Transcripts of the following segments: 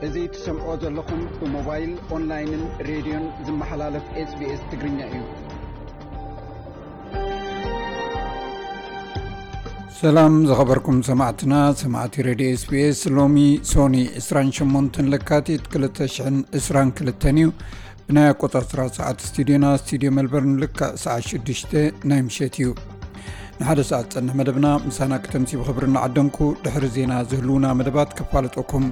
እዚ ትሰምዖ ዘለኹም ብሞባይል፣ ኦንላይንን ሬድዮን ዝመሓላለፍ ኤስቢኤስ ትግርኛ እዩ። ሰላም ዝኸበርኩም ሰማዕትና፣ ሰማዕቲ ሬድዮ ኤስቢኤስ። ሎሚ ሶኒ ዕስራን ሸሞንተን ለካቲት ክልተ ሽሕን ዕስራን ክልተን እዩ። ብናይ ኣቆጻጽራ ሰዓት ስቱዲዮና፣ ስቱዲዮ ሜልበርን፣ ልክዕ ሰዓት ሽዱሽተ ናይ ምሸት እዩ። ንሓደ ሰዓት ዝጸንሕ መደብና ምሳና ክተምሲ ብኽብሪ እናዓደምኩ፣ ድሕሪ ዜና ዝህልዉና መደባት ከፋልጠኩም።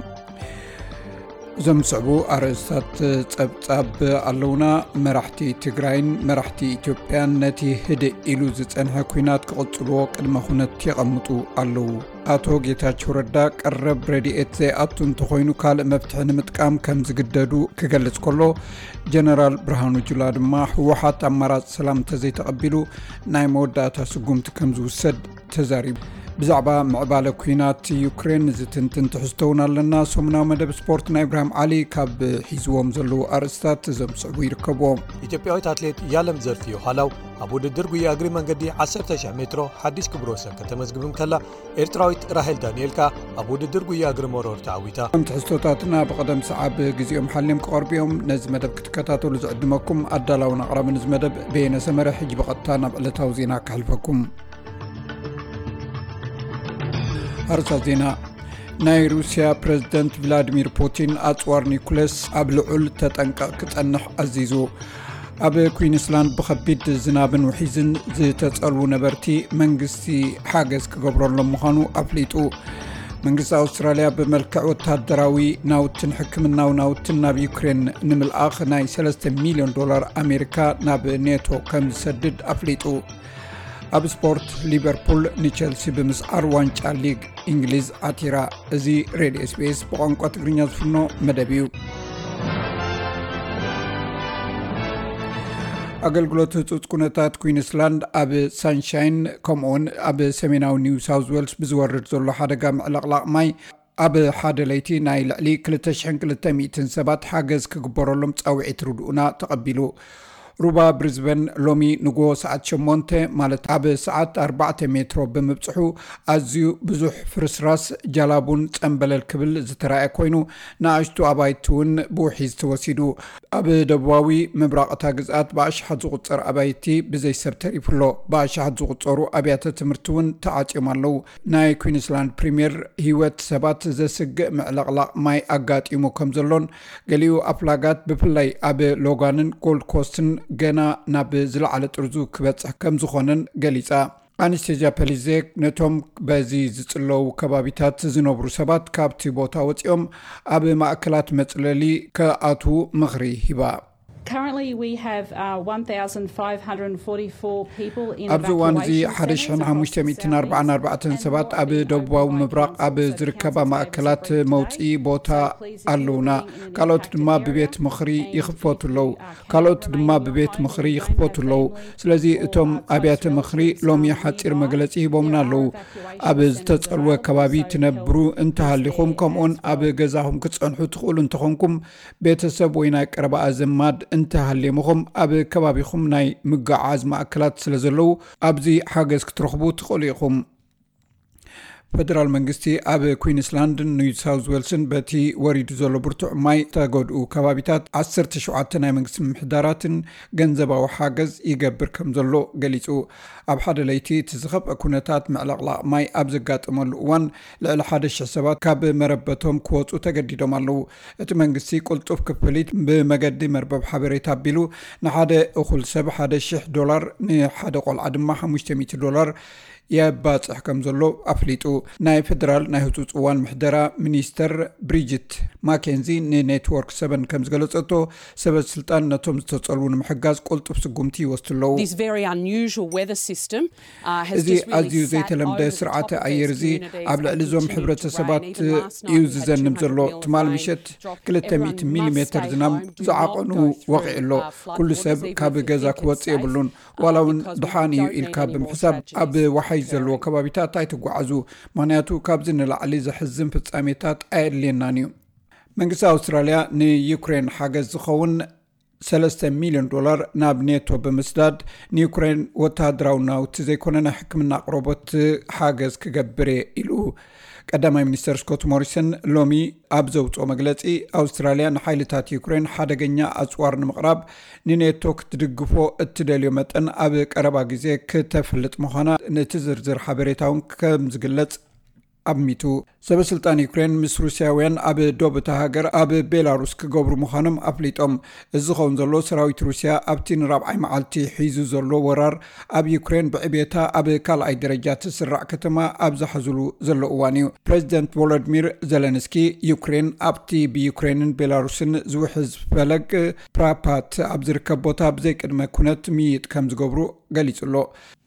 እዞም ዝስዕቡ ኣርእስታት ጸብጻብ ኣለውና። መራሕቲ ትግራይን መራሕቲ ኢትዮጵያን ነቲ ህድእ ኢሉ ዝጸንሐ ኲናት ክቕጽልዎ ቅድመ ኩነት የቐምጡ ኣለዉ። ኣቶ ጌታቸው ረዳ ቀረብ ረድኤት ዘይኣቱ እንተኾይኑ ካልእ መፍትሒ ንምጥቃም ከም ዝግደዱ ክገልጽ ከሎ፣ ጀነራል ብርሃኑ ጁላ ድማ ህወሓት ኣማራጺ ሰላም እንተዘይተቐቢሉ ናይ መወዳእታ ስጉምቲ ከም ዝውሰድ ተዛሪቡ። ብዛዕባ ምዕባለ ኲናት ዩክሬን ዝትንትን ትሕዝቶ እውን ኣለና። ሰሙናዊ መደብ ስፖርት ናይ ኢብራሂም ዓሊ ካብ ሒዝዎም ዘለዉ ኣርእስታት እዞም ዝስዕቡ ይርከብዎም። ኢትዮጵያዊት ኣትሌት ያለም ዘርፍዮ ሃላው ኣብ ውድድር ጉያ እግሪ መንገዲ ዓሰርተ ሺሕ ሜትሮ ሓድሽ ክብረ ወሰን ከተመዝግብ እንከላ፣ ኤርትራዊት ራሄል ዳንኤል ከኣ ኣብ ውድድር ጉያ እግሪ መሮር ተዓዊታ። እቶም ትሕዝቶታትና ብቐደም ሰዓብ ግዜኦም ሓልዮም ክቐርቡ እዮም። ነዚ መደብ ክትከታተሉ ዝዕድመኩም ኣዳላውን ኣቕራብን እዚ መደብ በየነ ሰመረ። ሕጂ ብቐጥታ ናብ ዕለታዊ ዜና ከሕልፈኩም። ኣርእስታት ዜና። ናይ ሩስያ ፕረዚደንት ቭላድሚር ፑቲን ኣጽዋር ኒኩለስ ኣብ ልዑል ተጠንቀቕ ክጸንሕ ኣዚዙ። ኣብ ኩዊንስላንድ ብኸቢድ ዝናብን ውሒዝን ዝተጸልዉ ነበርቲ መንግስቲ ሓገዝ ክገብረሎም ምዃኑ ኣፍሊጡ። መንግስቲ ኣውስትራልያ ብመልክዕ ወታደራዊ ናውትን ሕክምናዊ ናውትን ናብ ዩክሬን ንምልኣኽ ናይ ሰለስተ ሚልዮን ዶላር ኣሜሪካ ናብ ኔቶ ከም ዝሰድድ ኣፍሊጡ። ኣብ ስፖርት፣ ሊቨርፑል ንቸልሲ ብምስዓር ዋንጫ ሊግ እንግሊዝ ዓቲራ። እዚ ሬድዮ ኤስቢኤስ ብቋንቋ ትግርኛ ዝፍኖ መደብ እዩ። ኣገልግሎት ህጹጽ ኩነታት ኩዊንስላንድ ኣብ ሳንሻይን ከምኡውን ኣብ ሰሜናዊ ኒው ሳውዝ ዌልስ ብዝወርድ ዘሎ ሓደጋ ምዕልቕላቕ ማይ ኣብ ሓደ ለይቲ ናይ ልዕሊ ክልተ ሽሕን ክልተ ሚእትን ሰባት ሓገዝ ክግበረሎም ጻውዒት ርድኡና ተቐቢሉ። ሩባ ብሪዝበን ሎሚ ንጎ ሰዓት ሸሞንተ፣ ማለት ኣብ ሰዓት ኣርባዕተ ሜትሮ ብምብጽሑ፣ ኣዝዩ ብዙሕ ፍርስራስ፣ ጃላቡን ጸምበለል ክብል ዝተራእየ ኮይኑ፣ ንኣሽቱ ኣባይቲ እውን ብውሒዝ ተወሲዱ። ኣብ ደቡባዊ ምብራቕ እታ ግዝኣት ብኣሽሓት ዝቑጸር ኣባይቲ ብዘይ ሰብ ተሪፉ ኣሎ። ብኣሽሓት ዝቑጸሩ ኣብያተ ትምህርቲ እውን ተዓጽዮም ኣለዉ። ናይ ኩዊንስላንድ ፕሪምየር ህይወት ሰባት ዘስግእ ምዕልቕላቕ ማይ ኣጋጢሙ ከም ዘሎን፣ ገሊኡ ኣፍላጋት ብፍላይ ኣብ ሎጋንን ጎልድ ኮስትን ገና ናብ ዝለዓለ ጥርዙ ክበጽሕ ከም ዝኾነን ገሊጻ። ኣነስቴዝያ ፐሊዜክ ነቶም በዚ ዝጽለዉ ከባቢታት ዝነብሩ ሰባት ካብቲ ቦታ ወጺኦም ኣብ ማእከላት መጽለሊ ክኣትዉ ምኽሪ ሂባ። Currently, we have uh, one thousand five hundred forty-four people in ኣብዚ እዋን እዚ evacuation ሓደ ሽሕን ሓሙሽተ ሚእትን ኣርባዓን ኣርባዕተን ሰባት ኣብ ደቡባዊ ምብራቕ ኣብ ዝርከባ ማእከላት መውፅኢ ቦታ ኣለውና። ካልኦት ድማ ብቤት ምኽሪ ይኽፈቱ ኣለዉ። ካልኦት ድማ ብቤት ምኽሪ ይኽፈቱ ኣለዉ። ስለዚ እቶም ኣብያተ ምኽሪ ሎሚ ሓፂር መግለፂ ሂቦምና ኣለዉ። ኣብ ዝተፀልወ ከባቢ ትነብሩ እንተሃሊኹም፣ ከምኡውን ኣብ ገዛኹም ክትፀንሑ ትኽእሉ እንተኾንኩም፣ ቤተሰብ ወይ ናይ ቀረባ ኣዘማድ እንተሃልየምኹም፣ ኣብ ከባቢኹም ናይ ምጉዓዝ ማእከላት ስለ ዘለዉ፣ ኣብዚ ሓገዝ ክትረኽቡ ትኽእሉ ኢኹም። ፈደራል መንግስቲ ኣብ ኩዊንስላንድን ኒው ሳውዝ ዌልስን በቲ ወሪዱ ዘሎ ብርቱዕ ማይ ዝተጎድኡ ከባቢታት ዓሰርተ ሸውዓተ ናይ መንግስቲ ምምሕዳራትን ገንዘባዊ ሓገዝ ይገብር ከም ዘሎ ገሊጹ። ኣብ ሓደ ለይቲ እቲ ዝኸፍአ ኩነታት ምዕልቕላቕ ማይ ኣብ ዘጋጠመሉ እዋን፣ ልዕሊ ሓደ ሽሕ ሰባት ካብ መረበቶም ክወጹ ተገዲዶም ኣለዉ። እቲ መንግስቲ ቅልጡፍ ክፍሊት ብመገዲ መርበብ ሓበሬታ ኣቢሉ፣ ንሓደ እኹል ሰብ ሓደ ሽሕ ዶላር፣ ንሓደ ቆልዓ ድማ ሓሙሽተ ሚእቲ ዶላር የባጽሕ ከም ዘሎ ኣፍሊጡ። ናይ ፈደራል ናይ ህጹጽ እዋን ምሕደራ ሚኒስተር ብሪጅት ማኬንዚ ንኔትወርክ ሰቨን ከም ዝገለጸቶ፣ ሰበ ስልጣን ነቶም ዝተጸልዉ ንምሕጋዝ ቅልጡፍ ስጉምቲ ይወስዱ ኣለዉ። This very unusual weather system, uh, has እዚ just really ኣዝዩ sat ዘይተለምደ over the ስርዓተ top of ኣየር these እዚ communities ኣብ ልዕሊ and እዞም continued to ሕብረተሰባት rain. Even last እዩ night, we had ዝዘንብ two hundred ዘሎ። ትማል millimetres of ምሸት rain. ክልተ ሚእቲ ሚሊሜተር ዝናብ ዝዓቐኑ ወቒዑ ኣሎ። ኩሉ ሰብ ካብ ገዛ ክወጽእ የብሉን። ዋላ እውን ድሓን እዩ ኢልካ ብምሕሳብ ኣብ ወሓይዝ ዘለዎ ከባቢታት ኣይትጓዓዙ፣ ምኽንያቱ ካብዚ ንላዕሊ ዘሕዝን ፍጻሜታት ኣየድልየናን እዩ። መንግስቲ ኣውስትራልያ ንዩክሬን ሓገዝ ዝኸውን ሰለስተ ሚልዮን ዶላር ናብ ኔቶ ብምስዳድ፣ ንዩክሬን ወተሃደራዊ ናውቲ ዘይኮነ ናይ ሕክምና ኣቕርቦት ሓገዝ ክገብር እየ ኢሉ። ቀዳማይ ሚኒስተር ስኮት ሞሪሰን ሎሚ ኣብ ዘውፅኦ መግለፂ፣ ኣውስትራልያ ንሓይልታት ዩክሬን ሓደገኛ ኣፅዋር ንምቕራብ ንኔቶ ክትድግፎ እትደልዮ መጠን ኣብ ቀረባ ግዜ ክተፍልጥ ምዃና፣ ነቲ ዝርዝር ሓበሬታ እውን ከም ዝግለጽ ኣሚቱ። ሰበ ስልጣን ዩክሬን ምስ ሩስያውያን ኣብ ዶብ እታ ሃገር ኣብ ቤላሩስ ክገብሩ ምዃኖም ኣፍሊጦም። እዚ ዝኸውን ዘሎ፣ ሰራዊት ሩስያ ኣብቲ ንራብዓይ መዓልቲ ሒዙ ዘሎ ወራር ኣብ ዩክሬን፣ ብዕቤታ ኣብ ካልኣይ ደረጃ ትስራዕ ከተማ ኣብ ዝሓዝሉ ዘሎ እዋን እዩ። ፕሬዚደንት ቮሎዲሚር ዘለንስኪ፣ ዩክሬን ኣብቲ ብዩክሬንን ቤላሩስን ዝውሕዝ ፈለግ ፕራፓት ኣብ ዝርከብ ቦታ ብዘይቅድመ ኩነት ምይይጥ ከም ዝገብሩ ገሊጹ ኣሎ።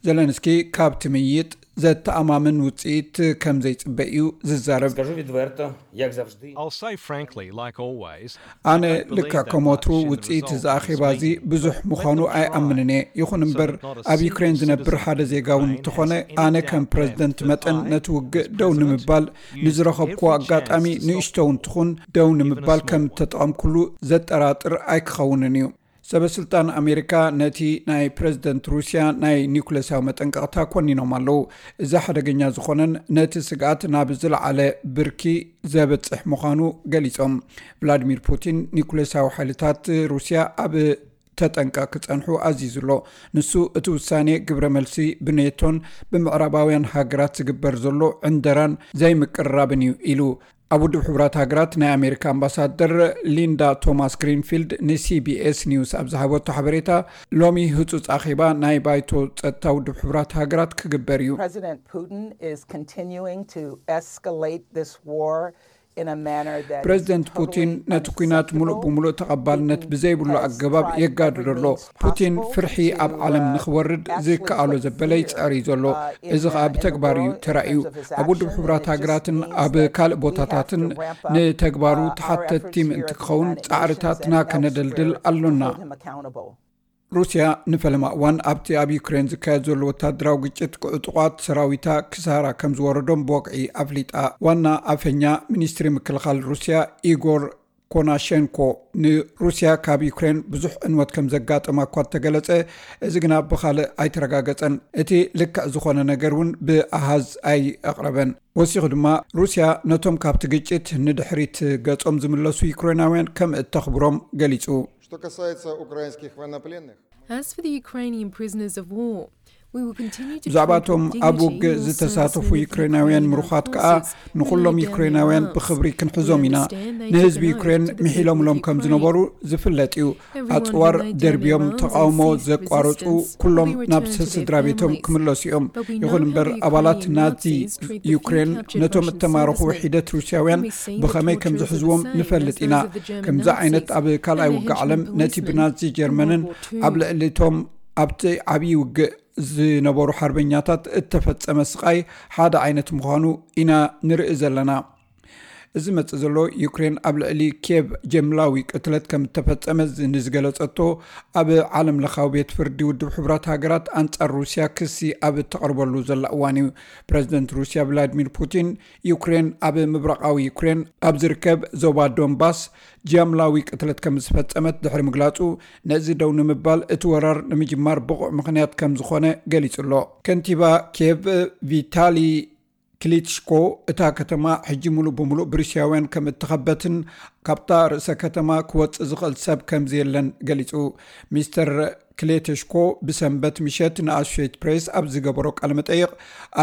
ዘለንስኪ ካብቲ ምይይጥ ዘተኣማምን ውጽኢት ከም ዘይጽበ እዩ ዝዛረብ። Скажу відверто, як завжди. I'll say frankly, like always, ኣነ ልክዕ ከም ወትሩ ውጽኢት እዚ ኣኼባ እዚ ብዙሕ ምዃኑ ኣይኣምንን እየ። ይኹን እምበር፣ ኣብ ዩክሬን ዝነብር ሓደ ዜጋ እውን እንተኾነ፣ ኣነ ከም ፕረዚደንት መጠን ነቲ ውግእ ደው ንምባል ንዝረኸብኩዎ ኣጋጣሚ፣ ንእሽቶ እውን ትኹን፣ ደው ንምባል ከም እተጠቐምኩሉ ዘጠራጥር ኣይክኸውንን እዩ። ሰበ ስልጣን ኣሜሪካ ነቲ ናይ ፕረዚደንት ሩስያ ናይ ኒኩሌሳዊ መጠንቀቕታ ኮኒኖም ኣለዉ። እዚ ሓደገኛ ዝኾነን ነቲ ስግኣት ናብ ዝለዓለ ብርኪ ዘብጽሕ ምዃኑ ገሊጾም። ቭላድሚር ፑቲን ኒኩሌሳዊ ሓይልታት ሩስያ ኣብ ተጠንቀቕ ክጸንሑ ኣዚዙ ኣሎ። ንሱ፣ እቲ ውሳኔ ግብረ መልሲ ብኔቶን ብምዕራባውያን ሃገራት ዝግበር ዘሎ ዕንደራን ዘይምቅርራብን እዩ ኢሉ። ኣብ ውድብ ሕቡራት ሃገራት ናይ ኣሜሪካ ኣምባሳደር ሊንዳ ቶማስ ግሪንፊልድ ንሲቢኤስ ኒውስ ኣብ ዝሃበቶ ሓበሬታ፣ ሎሚ ህጹጽ ኣኼባ ናይ ባይቶ ጸጥታ ውድብ ሕቡራት ሃገራት ክግበር እዩ። President Putin is continuing to escalate this war in a manner that is ፕረዚደንት totally ፑቲን ነቲ ኲናት ሙሉእ unacceptable. ብምሉእ ተቐባልነት ብዘይብሉ ኣገባብ የጋድዶ ኣሎ። ፑቲን ፍርሒ ኣብ ዓለም ንኽወርድ ዝከኣሎ ዘበለ ይጸር እዩ ዘሎ። እዚ ኸኣ ብተግባር እዩ ተራእዩ። ኣብ ውድብ ሕቡራት ሃገራትን ኣብ ካልእ ቦታታትን ንተግባሩ ተሓተትቲ ምእንቲ ክኸውን ጻዕርታትና ከነደልድል ኣሎና። ሩስያ ንፈለማ እዋን ኣብቲ ኣብ ዩክሬን ዝካየድ ዘሎ ወታደራዊ ግጭት፣ ክዕጡቓት ሰራዊታ ክሳራ ከም ዝወረዶም ብወግዒ ኣፍሊጣ። ዋና ኣፈኛ ሚኒስትሪ ምክልኻል ሩስያ ኢጎር ኮናሸንኮ፣ ንሩስያ ካብ ዩክሬን ብዙሕ ዕንወት ከም ዘጋጠማ እኳ እንተገለጸ፣ እዚ ግና ብኻልእ ኣይተረጋገጸን። እቲ ልክዕ ዝኾነ ነገር እውን ብኣሃዝ ኣይኣቕረበን። ወሲኹ ድማ፣ ሩስያ ነቶም ካብቲ ግጭት ንድሕሪት ገጾም ዝምለሱ ዩክሬናውያን ከም እተኽብሮም ገሊጹ። Что касается украинских военнопленных, As for the Ukrainian prisoners of war, we will continue to ብዛዕባ treat እቶም with ኣብ dignity ውግእ all ዝተሳተፉ servicemen of ዩክሬናውያን Ukrainian ምሩኻት armed ከኣ፣ forces who ንኹሎም lay down their ዩክሬናውያን arms. ብኽብሪ We ክንሕዞም ኢና። understand they ንህዝቢ have an ዩክሬን oath to ምሒሎምሎም protect ከም Ukraine. ዝነበሩ ዝፍለጥ እዩ። Everyone who ኣጽዋር laid down ደርብዮም their arms in ተቓውሞ ceased ዘቋረጹ resistance ኩሎም will be ናብ returned to their ስድራ ቤቶም families. ክምለሱ እዮም። But we know ይኹን how እምበር፣ the ኣባላት Ukrainian ናዚ Nazis treat the few ዩክሬን captured ነቶም Russian እተማረኹ servicemen. ውሒደት ሩስያውያን And we see that ብኸመይ ከም torture is the ዝሕዝዎም same ንፈልጥ as ኢና። those of the German ከምዚ ዓይነት Nazis ኣብ ካልኣይ and the ውግእ henchmen ዓለም ነቲ policemen ብናዚ during ጀርመንን World War Two. ኣብ ልዕሊቶም ኣብቲ ዓብዪ ውግእ ዝነበሩ ሓርበኛታት እተፈጸመ ስቓይ ሓደ ዓይነት ምዃኑ ኢና ንርኢ ዘለና። እዚ መጽእ ዘሎ፣ ዩክሬን ኣብ ልዕሊ ኬቭ ጀምላዊ ቅትለት ከም እተፈጸመ ዝ-፣ ንዝገለጸቶ ኣብ ዓለም ለኻዊ ቤት ፍርዲ ውድብ ሕቡራት ሃገራት ኣንጻር ሩስያ ክሲ ኣብ እተቕርበሉ ዘላ እዋን እዩ። ፕረዚደንት ሩስያ ቭላድሚር ፑቲን፣ ዩክሬን ኣብ ምብራቓዊ ዩክሬን ኣብ ዝርከብ ዞባ ዶንባስ ጀምላዊ ቅትለት ከም ዝፈጸመት ድሕሪ ምግላጹ፣ ነዚ ደው ንምባል እቲ ወራር ንምጅማር ብቑዕ ምኽንያት ከም ዝኾነ ገሊጹ ኣሎ። ከንቲባ ኬቭ ቪታሊ ክሊትሽኮ፣ እታ ከተማ ሕጂ ሙሉእ ብሙሉእ ብሩስያውያን ከም እተኸበትን ካብታ ርእሰ ከተማ ክወጽእ ዝኽእል ሰብ ከም ዘየለን ገሊጹ። ሚስተር ክሌተሽኮ ብሰንበት ምሸት ንኣሶሼትድ ፕሬስ ኣብ ዝገበሮ ቃለ መጠይቕ፣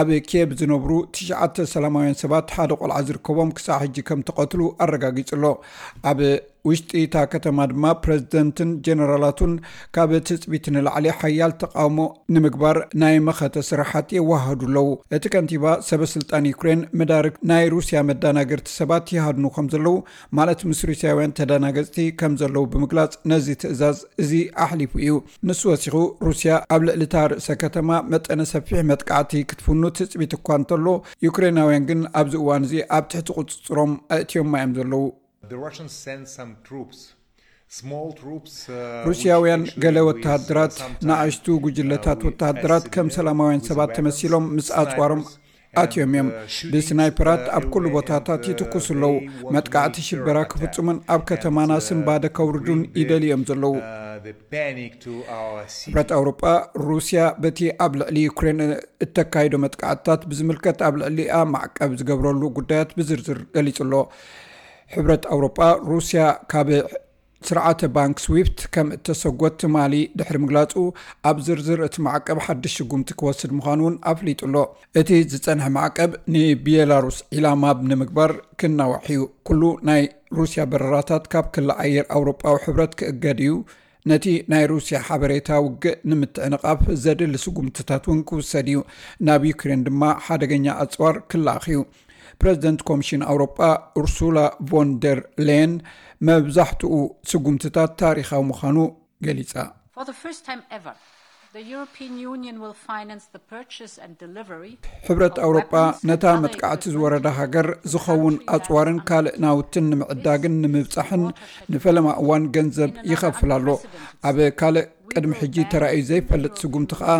ኣብ ኬብ ዝነብሩ ትሽዓተ ሰላማውያን ሰባት፣ ሓደ ቆልዓ ዝርከቦም፣ ክሳዕ ሕጂ ከም ተቐትሉ ኣረጋጊጹ ኣሎ። ኣብ ውሽጢ እታ ከተማ ድማ ፕረዚደንትን ጀነራላቱን ካብ ትጽቢት ንላዕሊ ሓያል ተቃውሞ ንምግባር ናይ መኸተ ስራሓት የዋህዱ ኣለዉ። እቲ ከንቲባ፣ ሰበ ስልጣን ዩክሬን መዳርግ ናይ ሩስያ መዳናገርቲ ሰባት ይሃድኑ ከም ዘለዉ፣ ማለት ምስ ሩስያውያን ተዳናገጽቲ ከም ዘለዉ ብምግላጽ፣ ነዚ ትእዛዝ እዚ ኣሕሊፉ እዩ። ንሱ ወሲኹ፣ ሩስያ ኣብ ልዕሊ እታ ርእሰ ከተማ መጠነ ሰፊሕ መጥቃዕቲ ክትፍኑ ትጽቢት እኳ እንተሎ፣ ዩክሬናውያን ግን ኣብዚ እዋን እዚ ኣብ ትሕቲ ቁጽጽሮም ኣእትዮማ እዮም ዘለዉ። The Russians send some troops, small troops. Uh, ሩስያውያን which actually ገለ with, uh, ወተሃደራት፣ some time, ንኣሽቱ ጉጅለታት uh, with ወተሃደራት as ከም civilian, ሰላማውያን with ሰባት weapons, ተመሲሎም ምስ ኣጽዋሮም snipers, ኣትዮም እዮም። ብስናይፐራት ኣብ ኩሉ ቦታታት ይትኩሱ ኣለዉ። መጥቃዕቲ ሽበራ ክፍጽሙን ኣብ ከተማና ስንባደ ከውርዱን ይደልዩ እዮም ዘለዉ። ሕብረት ኣውሮጳ፣ ሩስያ በቲ ኣብ ልዕሊ ዩክሬን እተካይዶ መጥቃዕትታት ብዝምልከት ኣብ ልዕሊኣ ማዕቀብ ዝገብረሉ ጉዳያት ብዝርዝር ገሊጹ ኣሎ። ሕብረት ኣውሮጳ፣ ሩስያ ካብ ስርዓተ ባንክ ስዊፍት ከም እተሰጎት ትማሊ ድሕሪ ምግላጹ፣ ኣብ ዝርዝር እቲ ማዕቀብ ሓድሽ ስጉምቲ ክወስድ ምዃኑ እውን ኣፍሊጡ ኣሎ። እቲ ዝጸንሐ ማዕቀብ ንቤላሩስ ዒላማ ንምግባር ክናዋሕ እዩ። ኩሉ ናይ ሩስያ በረራታት ካብ ክሊ ኣየር ኣውሮጳዊ ሕብረት ክእገድ እዩ። ነቲ ናይ ሩስያ ሓበሬታ ውግእ ንምትዕንቓፍ ዘድሊ ስጉምትታት እውን ክውሰድ እዩ። ናብ ዩክሬን ድማ ሓደገኛ ኣጽዋር ክለኣኽ እዩ። ፕረዚደንት ኮሚሽን ኣውሮጳ ኡርሱላ ቮን ደር ሌየን፣ መብዛሕትኡ ስጉምትታት ታሪኻዊ ምዃኑ ገሊጻ። For the first time ever, the European Union will finance the purchase and delivery ሕብረት ኣውሮጳ ነታ መጥቃዕቲ ዝወረዳ ሃገር ዝኸውን ኣጽዋርን ካልእ ናውትን ንምዕዳግን ንምብጻሕን ንፈለማ እዋን ገንዘብ ይኸፍል ኣሎ። ኣብ ካልእ ቅድሚ ሕጂ ተራእዩ ዘይፈልጥ ስጉምቲ ከኣ፣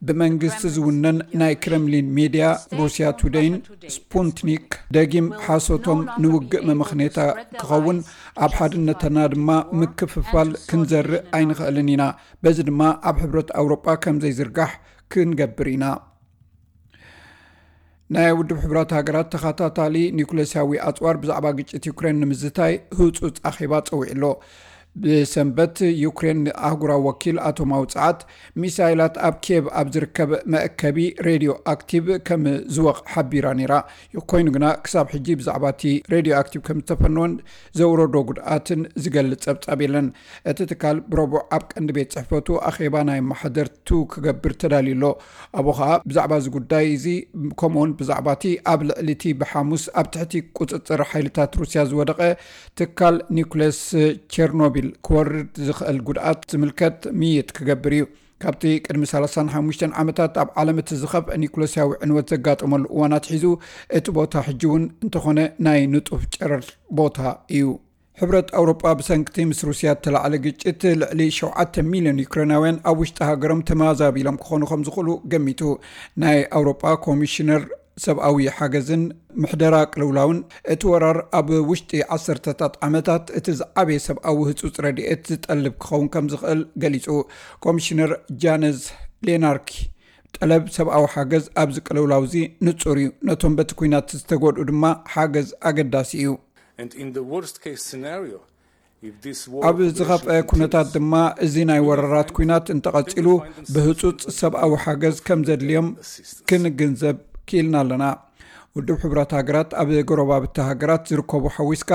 ብመንግስቲ ዝውነን ናይ ክረምሊን ሜድያ ሩስያ ቱደይን ስፑትኒክ ደጊም ሓሶቶም ንውግእ መመኽኔታ ክኸውን፣ ኣብ ሓድነትና ድማ ምክፍፋል ክንዘርእ ኣይንኽእልን ኢና። በዚ ድማ ኣብ ሕብረት ኣውሮጳ ከም ዘይዝርጋሕ ክንገብር ኢና። ናይ ውድብ ሕቡራት ሃገራት ተኸታታሊ ኒውክሌሳዊ ኣጽዋር ብዛዕባ ግጭት ዩክሬን ንምዝታይ ህጹጽ ኣኼባ ጸዊዑ ኣሎ። ብሰንበት ዩክሬን ኣህጉራዊ ወኪል ኣቶማዊ ጸዓት፣ ሚሳይላት ኣብ ኪየቭ ኣብ ዝርከብ መእከቢ ሬድዮ ኣክቲቭ ከም ዝወቕ ሓቢራ ነይራ። ኮይኑ ግና ክሳብ ሕጂ ብዛዕባ እቲ ሬድዮ ኣክቲቭ ከም ዝተፈነወን ዘውረዶ ጉድኣትን ዝገልጽ ጸብጻብ የለን። እቲ ትካል ብረቡዕ ኣብ ቀንዲ ቤት ጽሕፈቱ ኣኼባ ናይ ማሕደርቱ ክገብር ተዳልዩ ኣሎ። ኣብኡ ኸኣ ብዛዕባ እዚ ጉዳይ እዚ፣ ከምኡውን ብዛዕባ እቲ ኣብ ልዕሊ እቲ ብሓሙስ ኣብ ትሕቲ ቁጽጽር ሓይልታት ሩስያ ዝወደቐ ትካል ኒኩሌስ ቸርኖቢል ክወርድ ዝኽእል ጉድኣት ዝምልከት ምይይጥ ክገብር እዩ። ካብቲ ቅድሚ ሰላሳን ሓሙሽተን ዓመታት ኣብ ዓለም እቲ ዝኸፍአ ኒኩሌሳዊ ዕንወት ዘጋጠመሉ እዋን ኣትሒዙ፣ እቲ ቦታ ሕጂ እውን እንተኾነ ናይ ንጡፍ ጨረር ቦታ እዩ። ሕብረት ኣውሮጳ ብሰንክቲ ምስ ሩስያ እተላዕለ ግጭት ልዕሊ ሸውዓተ ሚልዮን ዩክሬናውያን ኣብ ውሽጢ ሃገሮም ተመዛቢሎም ክኾኑ ከም ዝኽእሉ ገሚቱ። ናይ ኣውሮጳ ኮሚሽነር ሰብኣዊ ሓገዝን ምሕደራ ቅልውላውን፣ እቲ ወራር ኣብ ውሽጢ ዓሰርተታት ዓመታት እቲ ዝዓበየ ሰብኣዊ ህጹጽ ረድኤት ዝጠልብ ክኸውን ከም ዝኽእል ገሊጹ። ኮሚሽነር ጃነዝ ሌናርኪ፣ ጠለብ ሰብኣዊ ሓገዝ ኣብዚ ቅልውላው እዚ ንጹር እዩ። ነቶም በቲ ኲናት ዝተጎድኡ ድማ ሓገዝ ኣገዳሲ እዩ። And in the worst case scenario, if this war ኣብ ዝኸፍአ ኩነታት ድማ፣ እዚ ናይ ወረራት ኲናት እንተቐጺሉ፣ ብህጹጽ ሰብኣዊ ሓገዝ ከም ዘድልዮም ክንግንዘብ ክኢልና ኣለና። ውድብ ሕቡራት ሃገራት ኣብ ጎረባብቲ ሃገራት ዝርከቡ ሓዊስካ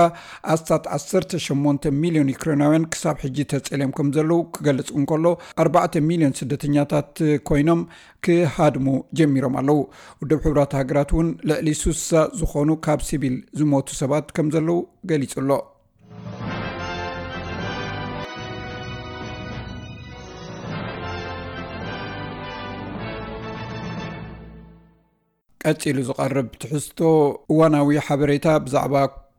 ኣስታት ዓሰርተ ሸሞንተ ሚልዮን ዩክሬናውያን ክሳብ ሕጂ ተጸልዮም ከም ዘለዉ ክገልጽ እንከሎ፣ ኣርባዕተ ሚልዮን ስደተኛታት ኮይኖም ክሃድሙ ጀሚሮም ኣለዉ። ውድብ ሕቡራት ሃገራት እውን ልዕሊ ሱሳ ዝኾኑ ካብ ሲቪል ዝሞቱ ሰባት ከም ዘለዉ ገሊጹ ኣሎ። ቀጺሉ ዝቐርብ ትሕዝቶ እዋናዊ ሓበሬታ ብዛዕባ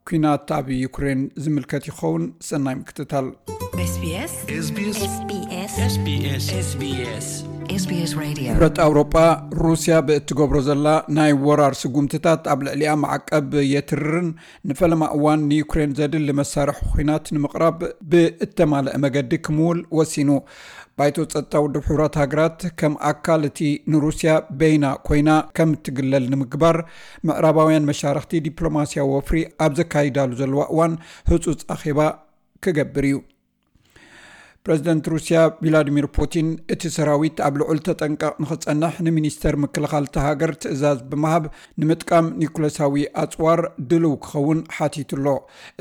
ኲናት ኣብ ዩክሬን ዝምልከት ይኸውን። ሰናይ ምክትታል። SBS SBS SBS SBS Radio። ሕብረት ኣውሮጳ፣ ሩስያ ብእትገብሮ ዘላ ናይ ወራር ስጉምትታት ኣብ ልዕሊኣ ማዕቀብ የትርርን ንፈለማ እዋን ንዩክሬን ዘድሊ መሳርሒ ኲናት ንምቕራብ ብእተማልአ መገዲ ክምውል ወሲኑ። ባይቶ ጸጥታ ውድብ ሕቡራት ሃገራት፣ ከም ኣካል እቲ ንሩስያ በይና ኮይና ከም እትግለል ንምግባር፣ ምዕራባውያን መሻርኽቲ ዲፕሎማስያዊ ወፍሪ ኣብ ዘካይዳሉ ዘለዋ እዋን ህጹጽ ኣኼባ ክገብር እዩ። ፕረዚደንት ሩስያ ቪላዲሚር ፑቲን፣ እቲ ሰራዊት ኣብ ልዑል ተጠንቀቕ ንኽጸንሕ ንሚኒስተር ምክልኻል እታ ሃገር ትእዛዝ ብምሃብ፣ ንምጥቃም ኒኩለሳዊ ኣጽዋር ድልው ክኸውን ሓቲቱ ኣሎ።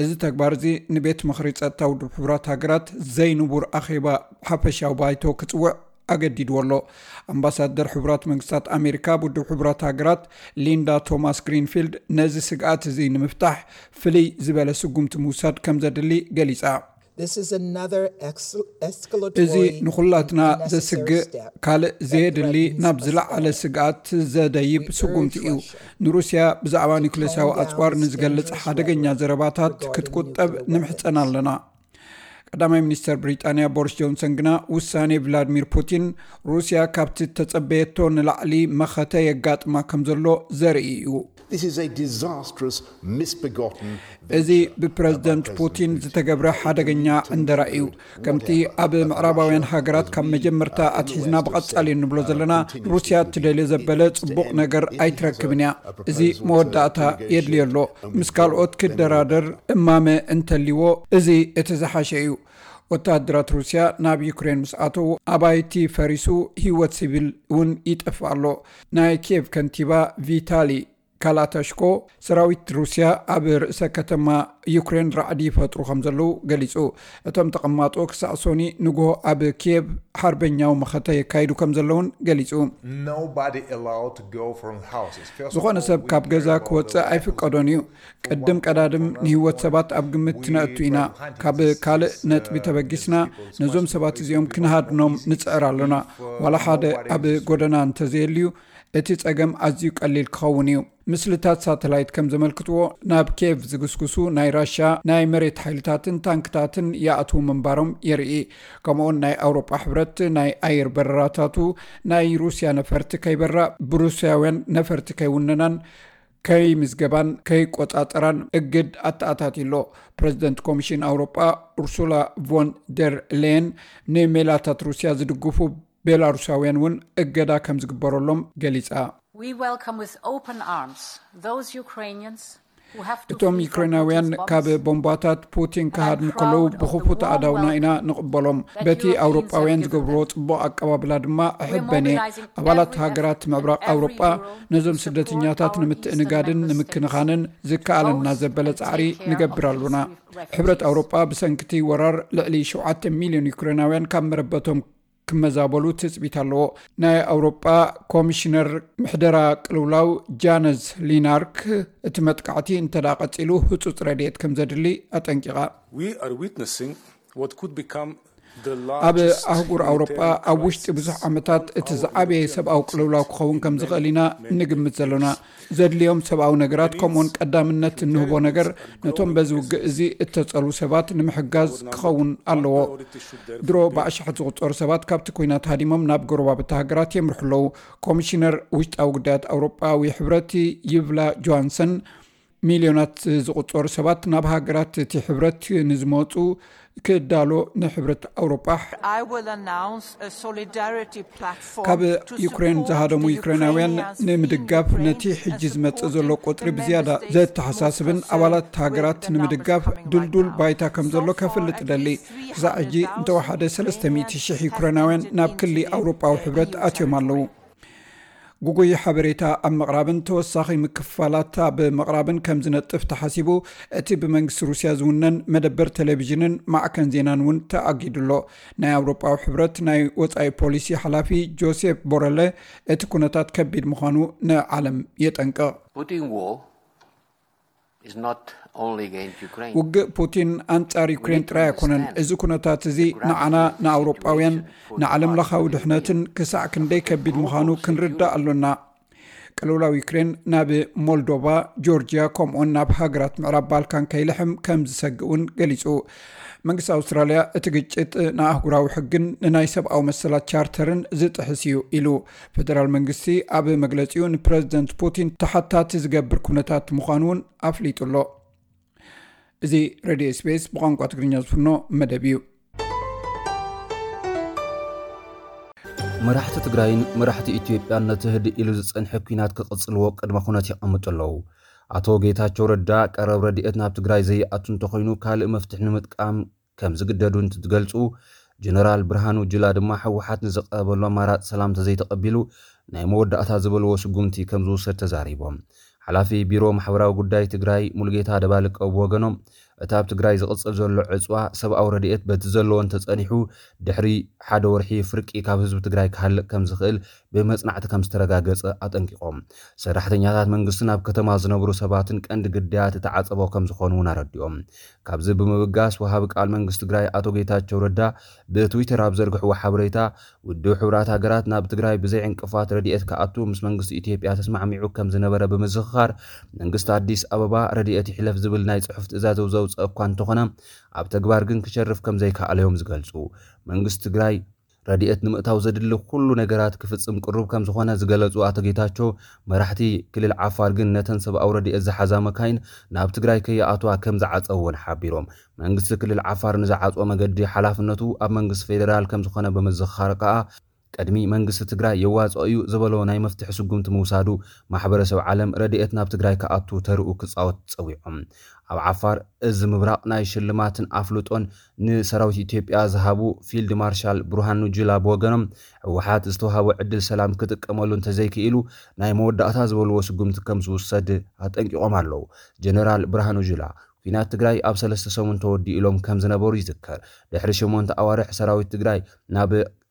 እዚ ተግባር እዚ ንቤት ምኽሪ ጸጥታ ውድብ ሕቡራት ሃገራት ዘይንቡር ኣኼባ ሓፈሻዊ ባይቶ ክጽውዕ ኣገዲድዎ ኣሎ። ኣምባሳደር ሕቡራት መንግስታት ኣሜሪካ ኣብ ውድብ ሕቡራት ሃገራት ሊንዳ ቶማስ ግሪንፊልድ፣ ነዚ ስግኣት እዚ ንምፍታሕ ፍልይ ዝበለ ስጉምቲ ምውሳድ ከም ዘድሊ ገሊጻ። This is another excel- እዚ escalatory ንኹላትና and necessary ዘስግእ step ካልእ that ዘየድሊ threatens ናብ us ዝለዓለ all. ስግኣት ዘደይብ We ስጉምቲ እዩ። Russia ንሩስያ ብዛዕባ ኒኩሌሳዊ calm down ኣጽዋር the ንዝገልጽ dangerous ሓደገኛ rhetoric ዘረባታት regarding ክትቁጠብ nuclear ንምሕጸን weapons. ኣለና። ቀዳማይ ሚኒስተር ብሪጣንያ ቦሪስ ጆንሰን ግና ውሳኔ ቭላድሚር ፑቲን ሩስያ ካብቲ ተጸበየቶ ንላዕሊ መኸተ የጋጥማ ከም ዘሎ ዘርኢ እዩ። This is a disastrous, misbegotten እዚ ብፕረዚደንት ፑቲን ዝተገብረ ሓደገኛ ዕንደራ እዩ። ከምቲ ኣብ ምዕራባውያን ሃገራት ካብ መጀመርታ ኣትሒዝና ብቐጻሊ እንብሎ ዘለና፣ ሩስያ ትደልዮ ዘበለ ጽቡቕ ነገር ኣይትረክብን እያ። እዚ መወዳእታ የድልዮ ኣሎ። ምስ ካልኦት ክደራደር እማመ እንተልዎ፣ እዚ እቲ ዝሓሸ እዩ። ወተሃደራት ሩስያ ናብ ዩክሬን ምስ ኣተዉ፣ ኣባይቲ ፈሪሱ፣ ህይወት ሲቪል እውን ይጠፍእ ኣሎ። ናይ ኪየቭ ከንቲባ ቪታሊ ካላተሽኮ፣ ሰራዊት ሩስያ ኣብ ርእሰ ከተማ ዩክሬን ራዕዲ ይፈጥሩ ከም ዘለዉ ገሊጹ። እቶም ተቐማጦ ክሳዕ ሶኒ ንግሆ ኣብ ኪየቭ ሓርበኛዊ መኸተ የካይዱ ከም ዘለውን ገሊጹ። Nobody allowed to go from the houses. First of ዝኾነ all, ሰብ we ካብ ገዛ care about ክወጽእ the ኣይፍቀዶን እዩ። ቅድም ቀዳድም ንህይወት ሰባት ኣብ ግምት ነእቱ ኢና። ካብ ካልእ ነጥቢ ተበጊስና ነዞም ሰባት እዚኦም ክንሃድኖም ንጽዕር ኣሎና። ዋላ ሓደ ኣብ ጎደና እንተዘየልዩ፣ እቲ ጸገም ኣዝዩ ቀሊል ክኸውን እዩ። ምስልታት ሳተላይት ከም ዘመልክትዎ፣ ናብ ኬቭ ዝግስግሱ ናይ ራሽያ ናይ መሬት ሓይልታትን ታንክታትን ይኣትዉ ምንባሮም የርኢ። ከምኡውን ናይ ኣውሮጳ ሕብረት ናይ ኣየር በረራታቱ ናይ ሩስያ ነፈርቲ ከይበራ፣ ብሩስያውያን ነፈርቲ ከይውነናን ከይምዝገባን ከይቆጻጸራን እግድ ኣተኣታትዩ ኣሎ። ፕረዚደንት ኮሚሽን ኣውሮጳ ኡርሱላ ቮን ደር ሌየን፣ ንሜላታት ሩስያ ዝድግፉ ቤላሩሳውያን እውን እገዳ ከም ዝግበረሎም ገሊጻ። We welcome with open arms those Ukrainians who have to እቶም flee from ዩክሬናውያን Putin's ካብ bombs. ቦምባታት ፑቲን ክሃድሙ ከለዉ ብኽፉት ኣእዳውና ኢና ንቕበሎም። በቲ ኣውሮጳውያን ዝገብርዎ ጽቡቕ ኣቀባብላ ድማ እሕበን እየ። ኣባላት ሃገራት ምዕራብ ኣውሮጳ ነዞም ስደተኛታት ንምትእንጋድን ንምክንኻንን ዝከኣለና ዘበለ ጻዕሪ ንገብር ኣሉና። ሕብረት ኣውሮጳ ብሰንክቲ ወራር ልዕሊ ሸውዓተ ሚልዮን ዩክሬናውያን ካብ መረበቶም ክመዛበሉ ትጽቢት ኣለዎ። ናይ ኣውሮጳ ኮሚሽነር ምሕደራ ቅልውላው ጃነዝ ሊናርክ፣ እቲ መጥቃዕቲ እንተ ደኣ ቀጺሉ ህጹጽ ረድኤት ከም ዘድሊ ኣጠንቂቓ። We are witnessing what could become the ኣብ largest ኣህጉር ኣውሮጳ humanitarian ኣብ ውሽጢ crisis ብዙሕ ዓመታት እቲ ዝዓበየ ሰብኣዊ ቅልውላው ክኸውን ከም ዝኽእል ኢና እንግምት ዘለና። ዘድልዮም ሰብኣዊ ነገራት ከምኡውን ቀዳምነት እንህቦ ነገር ነቶም በዚ ውግእ እዚ እተጸልዉ ሰባት ንምሕጋዝ ክኸውን ኣለዎ። ድሮ ብኣሽሓት ዝቑጸሩ ሰባት ካብቲ ኲናት ሃዲሞም ናብ ጎረባብቲ ሃገራት የምርሑ ኣለዉ። ኮሚሽነር ውሽጣዊ ጉዳያት ኣውሮጳዊ ሕብረት ይቭላ ጆሃንሰን፣ ሚልዮናት ዝቑጸሩ ሰባት ናብ ሃገራት እቲ ሕብረት ንዝመጹ ክዳሎ ንሕብረት ኣውሮጳ I will announce a solidarity platform ካብ to ዩክሬን support ዝሃደሙ the ዩክሬናውያን Ukrainians fleeing ንምድጋፍ Ukraine ነቲ and ሕጂ ዝመጽእ supporting ዘሎ ቁጽሪ the ብዝያዳ member states ዘተሓሳስብን with ኣባላት military ሃገራት help ንምድጋፍ coming right ድልዱል now. ባይታ ከም ዘሎ So far, ከፍልጥ at እደሊ። least ክሳዕ ሕጂ three hundred thousand እንተወሓደ ሰለስተ ሚእቲ ሺሕ Ukrainians ዩክሬናውያን have ናብ entered ክሊ into ኣውሮጳዊ Ukrainian ሕብረት ኣትዮም ኣለዉ። territory. ጉጉይ ሓበሬታ ኣብ ምቕራብን ተወሳኺ ምክፋላት ኣብ ምቕራብን ከም ዝነጥፍ ተሓሲቡ፣ እቲ ብመንግስቲ ሩስያ ዝውነን መደበር ቴሌቪዥንን ማዕከን ዜናን እውን ተኣጊዱ ኣሎ። ናይ ኣውሮጳዊ ሕብረት ናይ ወጻኢ ፖሊሲ ሓላፊ ጆሴፍ ቦረለ፣ እቲ ኩነታት ከቢድ ምዃኑ ንዓለም የጠንቅቕ። Putin war is not only against Ukraine. ውግእ ፑቲን ኣንጻር ዩክሬን ጥራይ ኣይኮነን። እዚ ኩነታት እዚ ንዓና ንኣውሮጳውያን ንዓለም ለኻዊ ድሕነትን ክሳዕ ክንደይ ከቢድ ምዃኑ ክንርዳእ ኣሎና። ቅልውላው ዩክሬን ናብ ሞልዶቫ፣ ጆርጅያ ከምኡውን ናብ ሃገራት ምዕራብ ባልካን ከይልሕም ከም ዝሰግእ እውን ገሊጹ። መንግስቲ ኣውስትራልያ እቲ ግጭት ንኣህጉራዊ ሕግን ንናይ ሰብኣዊ መሰላት ቻርተርን ዝጥሕስ እዩ ኢሉ። ፌደራል መንግስቲ ኣብ መግለጺኡ ንፕረዚደንት ፑቲን ተሓታቲ ዝገብር ኩነታት ምዃኑ እውን ኣፍሊጡ ኣሎ። እዚ ሬድዮ ኤስቢኤስ ብቋንቋ ትግርኛ ዝፍኖ መደብ እዩ። መራሕቲ ትግራይን መራሕቲ ኢትዮጵያን ነቲ ህድእ ኢሉ ዝጸንሐ ኲናት ክቕጽልዎ ቅድመ ኩነት የቐምጡ ኣለዉ። ኣቶ ጌታቸው ረዳ ቀረብ ረድኤት ናብ ትግራይ ዘይኣቱ እንተኾይኑ ካልእ መፍትሒ ንምጥቃም ከም ዝግደዱ እንትትገልጹ፣ ጀነራል ብርሃኑ ጁላ ድማ ህወሓት ንዝቐረበሉ ኣማራፂ ሰላም ተዘይተቐቢሉ ናይ መወዳእታ ዝበልዎ ስጉምቲ ከም ዝውሰድ ተዛሪቦም። ሓላፊ ቢሮ ማሕበራዊ ጉዳይ ትግራይ ሙሉጌታ ደባልቀ ብወገኖም፣ እቲ ኣብ ትግራይ ዝቕፅል ዘሎ ዕፅዋ ሰብኣዊ ረድኤት በቲ ዘለዎ እንተፀኒሑ ድሕሪ ሓደ ወርሒ ፍርቂ ካብ ህዝቢ ትግራይ ክሃልቅ ከም ዝኽእል ብመፅናዕቲ ከም ዝተረጋገፀ ኣጠንቂቖም። ሰራሕተኛታት መንግስትን ኣብ ከተማ ዝነብሩ ሰባትን ቀንዲ ግዳያት እቲ ዓፀቦ ከም ዝኾኑ እውን ኣረዲኦም። ካብዚ ብምብጋስ ወሃቢ ቃል መንግስቲ ትግራይ ኣቶ ጌታቸው ረዳ ብትዊተር ኣብ ዘርግሕዎ ሓበሬታ፣ ውድብ ሕቡራት ሃገራት ናብ ትግራይ ብዘይ ዕንቅፋት ረድኤት ክኣቱ ምስ መንግስቲ ኢትዮጵያ ተስማዕሚዑ ከም ዝነበረ ብምዝኽኻር፣ መንግስቲ ኣዲስ ኣበባ ረድኤት ይሕለፍ ዝብል ናይ ጽሑፍ ትእዛዝ ዘውዘው እኳ እንተኾነ፣ ኣብ ተግባር ግን ክሸርፍ ከም ዘይከኣለ እዮም ዝገልጹ። መንግስቲ ትግራይ ረድኤት ንምእታው ዘድሊ ኩሉ ነገራት ክፍጽም ቅሩብ ከም ዝኾነ ዝገለጹ ኣቶ ጌታቸው፣ መራሕቲ ክልል ዓፋር ግን ነተን ሰብኣዊ ረድኤት ዝሓዛ መካይን ናብ ትግራይ ከይኣትዋ ከም ዝዓጸው እውን ሓቢሮም። መንግስቲ ክልል ዓፋር ንዝዓጽዎ መገዲ ሓላፍነቱ ኣብ መንግስቲ ፌደራል ከም ዝኾነ ብምዝኻር ከኣ፣ ቅድሚ መንግስቲ ትግራይ የዋጽኦ እዩ ዝበሎ ናይ መፍትሒ ስጉምቲ ምውሳዱ፣ ማሕበረሰብ ዓለም ረድኤት ናብ ትግራይ ክኣቱ ተርኡ ክጻወት ጸዊዖም። ኣብ ዓፋር እዚ ምብራቕ ናይ ሽልማትን ኣፍልጦን ንሰራዊት ኢትዮጵያ ዝሃቡ ፊልድ ማርሻል ብርሃኑ ጁላ ብወገኖም፣ ህወሓት ዝተዋሃቦ ዕድል ሰላም ክጥቀመሉ እንተዘይክኢሉ፣ ናይ መወዳእታ ዝበልዎ ስጉምቲ ከም ዝውሰድ ኣጠንቂቖም ኣለዉ። ጀነራል ብርሃኑ ጁላ፣ ኲናት ትግራይ ኣብ ሰለስተ ሰሙን ተወዲኡ ኢሎም ከም ዝነበሩ ይዝከር። ድሕሪ ሸሞንተ ኣዋርሕ ሰራዊት ትግራይ ናብ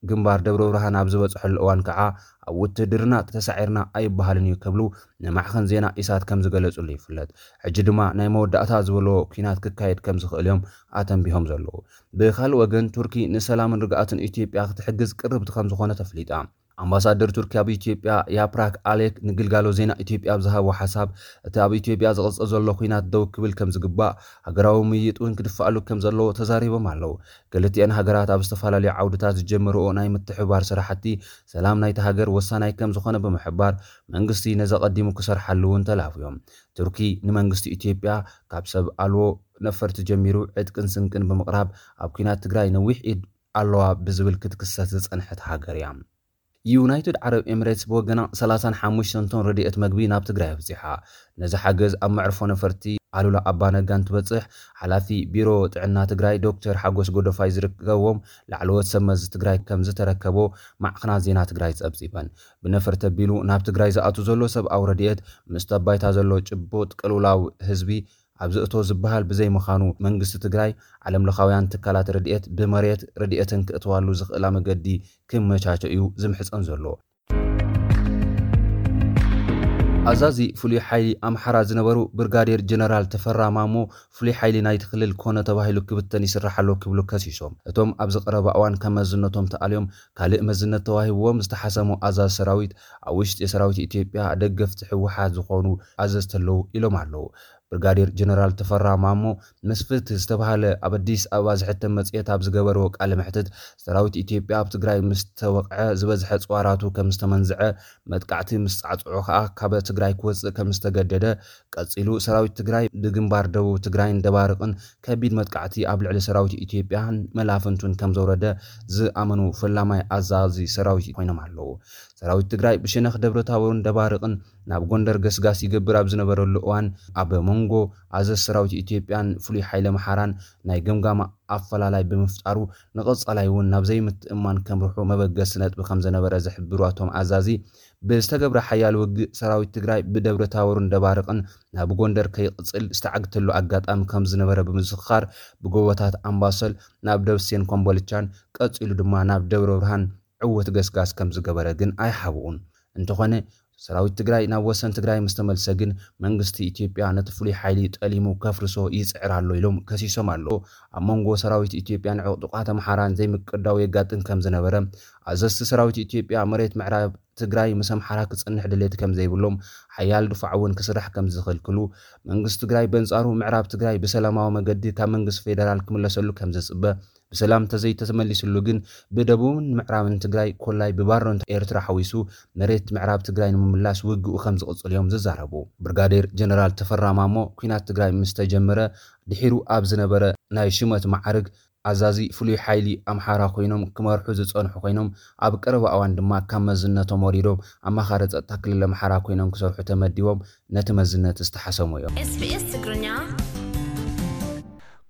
ግንባር ደብረ ብርሃን ኣብ ዝበፅሐሉ እዋን ከዓ፣ ኣብ ውትድርና ተሳዒርና ኣይበሃልን እዩ ክብሉ ንማዕኸን ዜና ኢሳት ከም ዝገለጹሉ ይፍለጥ። ሕጂ ድማ ናይ መወዳእታ ዝበሎ ኲናት ክካየድ ከም ዝኽእል እዮም ኣተንቢሆም ዘለዉ። ብኻልእ ወገን፣ ቱርኪ ንሰላምን ርግኣትን ኢትዮጵያ ክትሕግዝ ቅርብቲ ከም ዝኾነ ተፍሊጣ። ኣምባሳደር ቱርኪ ኣብ ኢትዮጵያ ያፕራክ ኣሌክ ንግልጋሎ ዜና ኢትዮጵያ ኣብ ዝሃቦ ሓሳብ፣ እቲ ኣብ ኢትዮጵያ ዝቕጽል ዘሎ ኲናት ደው ክብል ከም ዝግባእ፣ ሃገራዊ ምይይጥ እውን ክድፋኣሉ ከም ዘለዎ ተዛሪቦም ኣለዉ። ክልቲአን ሃገራት ኣብ ዝተፈላለዩ ዓውድታት ዝጀመርኦ ናይ ምትሕብባር ስራሕቲ፣ ሰላም ናይቲ ሃገር ወሳናይ ከም ዝኾነ ብምሕባር፣ መንግስቲ ነዚ ኣቐዲሙ ክሰርሓሉ እውን ተላብዮም። ቱርኪ ንመንግስቲ ኢትዮጵያ ካብ ሰብ ኣልቦ ነፈርቲ ጀሚሩ ዕጥቅን ስንቅን ብምቕራብ ኣብ ኲናት ትግራይ ነዊሕ ኢድ ኣለዋ ብዝብል ክትክሰስ ዝጸንሐት ሃገር እያ። ዩናይትድ ዓረብ ኤምሬትስ ብወገና ሰላሳን ሓሙሽተን ቶን ረድኤት መግቢ ናብ ትግራይ ኣብጺሓ። ነዚ ሓገዝ ኣብ መዕርፎ ነፈርቲ ኣሉላ ኣባነጋ እንትበጽሕ፣ ሓላፊ ቢሮ ጥዕና ትግራይ ዶክተር ሓጎስ ጎደፋይ ዝርከብዎም ላዕለዎት ሰብ መዚ ትግራይ ከም ዝተረከቦ ማዕኸናት ዜና ትግራይ ጸብጺበን። ብነፈርቲ ኣቢሉ ናብ ትግራይ ዝኣቱ ዘሎ ሰብኣዊ ረድኤት፣ ምስቲ ኣብ ባይታ ዘሎ ጭቡጥ ቅልውላው ህዝቢ ኣብ ዝእቶ ዝበሃል ብዘይምዃኑ፣ መንግስቲ ትግራይ ዓለምለኻውያን ትካላት ረድኤት ብመሬት ረድኤተን ክእትዋሉ ዝኽእላ መገዲ ክመቻቸ እዩ ዝምሕጸን ዘሎ። ኣዛዚ ፍሉይ ሓይሊ ኣምሓራ ዝነበሩ ብርጋዴር ጀነራል ተፈራ ማሞ፣ ፍሉይ ሓይሊ ናይቲ ክልል ኮነ ተባሂሉ ክብተን ይስራሕ ኣሎ ክብሉ ከሲሶም። እቶም ኣብዚ ቀረባ እዋን ካብ መዝነቶም ተኣልዮም ካልእ መዝነት ተዋሂብዎም ዝተሓሰሙ ኣዛዚ ሰራዊት፣ ኣብ ውሽጢ ሰራዊት ኢትዮጵያ ደገፍቲ ህወሓት ዝኾኑ ኣዘዝቲ ኣለዉ ኢሎም ኣለዉ። ብርጋዴር ጀነራል ተፈራ ማሞ ምስ ፍትህ ዝተባህለ ኣብ ኣዲስ ኣበባ ዝሕተም መጽሔት ኣብ ዝገበርዎ ቃለ መሕትት፣ ሰራዊት ኢትዮጵያ ኣብ ትግራይ ምስ ተወቕዐ ዝበዝሐ ጽዋራቱ ከም ዝተመንዝዐ፣ መጥቃዕቲ ምስ ጻዕጽዑ ከኣ ካብ ትግራይ ክወጽእ ከም ዝተገደደ፣ ቀጺሉ ሰራዊት ትግራይ ብግንባር ደቡብ ትግራይን ደባርቕን ከቢድ መጥቃዕቲ ኣብ ልዕሊ ሰራዊት ኢትዮጵያን መላፍንቱን ከም ዘውረደ ዝኣመኑ ፈላማይ ኣዛዚ ሰራዊት ኮይኖም ኣለዉ። ሰራዊት ትግራይ ብሸነኽ ደብረ ታቦርን ደባርቕን ናብ ጎንደር ገስጋስ ይገብር ኣብ ዝነበረሉ እዋን፣ ኣብ መንጎ ኣዘዝ ሰራዊት ኢትዮጵያን ፍሉይ ሓይሊ ኣምሓራን ናይ ገምጋም ኣፈላላይ ብምፍጣሩ፣ ንቐጻላይ እውን ናብ ዘይምትእምማን ከምርሑ መበገሲ ነጥቢ ከም ዝነበረ ዝሕብሩ እቶም ኣዛዚ፣ ብዝተገብረ ሓያል ውግእ ሰራዊት ትግራይ ብደብረ ታቦርን ደባርቕን ናብ ጎንደር ከይቕጽል ዝተዓግተሉ ኣጋጣሚ ከም ዝነበረ ብምዝኽኻር፣ ብጎቦታት ኣምባሰል ናብ ደብሴን ኮምቦልቻን፣ ቀጺሉ ድማ ናብ ደብረ ብርሃን ዕውት ገስጋስ ከም ዝገበረ ግን ኣይሓብኡን። እንተኾነ፣ ሰራዊት ትግራይ ናብ ወሰን ትግራይ ምስ ተመልሰ ግን፣ መንግስቲ ኢትዮጵያ ነቲ ፍሉይ ሓይሊ ጠሊሙ ከፍርሶ ይጽዕር ኣሎ ኢሎም ከሲሶም ኣለዉ። ኣብ መንጎ ሰራዊት ኢትዮጵያን ዕጡቓት ኣምሓራን ዘይምቅዳው የጋጥም ከም ዝነበረ፣ ኣዘዝቲ ሰራዊት ኢትዮጵያ መሬት ምዕራብ ትግራይ ምስ ኣምሓራ ክጸንሕ ድሌት ከም ዘይብሎም፣ ሓያል ድፋዕ እውን ክስራሕ ከም ዝኽልክሉ፣ መንግስቲ ትግራይ በንጻሩ ምዕራብ ትግራይ ብሰላማዊ መገዲ ካብ መንግስቲ ፌደራል ክምለሰሉ ከም ዝጽበ፣ ብሰላም እንተዘይተመሊስሉ ግን ብደቡብን ምዕራብን ትግራይ ኮላይ ብባሮን ኤርትራ ሓዊሱ መሬት ምዕራብ ትግራይ ንምምላስ ውግኡ ከም ዝቕጽል እዮም ዝዛረቡ። ብርጋዴር ጀነራል ተፈራ ማሞ፣ ኲናት ትግራይ ምስ ተጀመረ ድሒሩ ኣብ ዝነበረ ናይ ሹመት ማዕርግ ኣዛዚ ፍሉይ ሓይሊ ኣምሓራ ኮይኖም ክመርሑ ዝጸንሑ ኮይኖም፣ ኣብ ቀረባ እዋን ድማ ካብ መዝነቶም ወሪዶም ኣማኻሪ ጸጥታ ክልል ኣምሓራ ኮይኖም ክሰርሑ ተመዲቦም ነቲ መዝነት ዝተሓሰሙ እዮም። SBS ትግርኛ።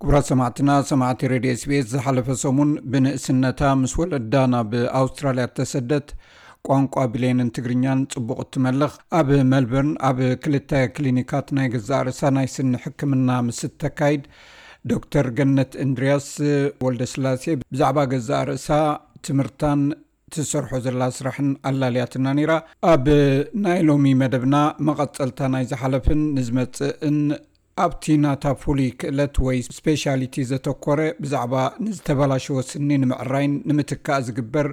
ክቡራት ሰማዕትና፣ ሰማዕቲ ሬድዮ SBS ዝሓለፈ ሰሙን ብንእስነታ ምስ ወለዳ ናብ ኣውስትራልያ እተሰደት፣ ቋንቋ ብሌንን ትግርኛን ጽቡቕ እትመልኽ፣ ኣብ ሜልበርን ኣብ ክልተ ክሊኒካት ናይ ገዛእ ርእሳ ናይ ስኒ ሕክምና ምስ እተካይድ፣ ዶክተር ገነት እንድርያስ ወልደስላሴ ብዛዕባ ገዛእ ርእሳ፣ ትምህርታን ትሰርሖ ዘላ ስራሕን ኣላልያትና ነይራ። ኣብ ናይ ሎሚ መደብና፣ መቐጸልታ ናይ ዝሓለፍን ንዝመጽእን፣ ኣብቲ ናታ ፍሉይ ክእለት ወይ ስፔሻሊቲ ዘተኮረ፣ ብዛዕባ ንዝተበላሸወ ስኒ ንምዕራይን ንምትካእ ዝግበር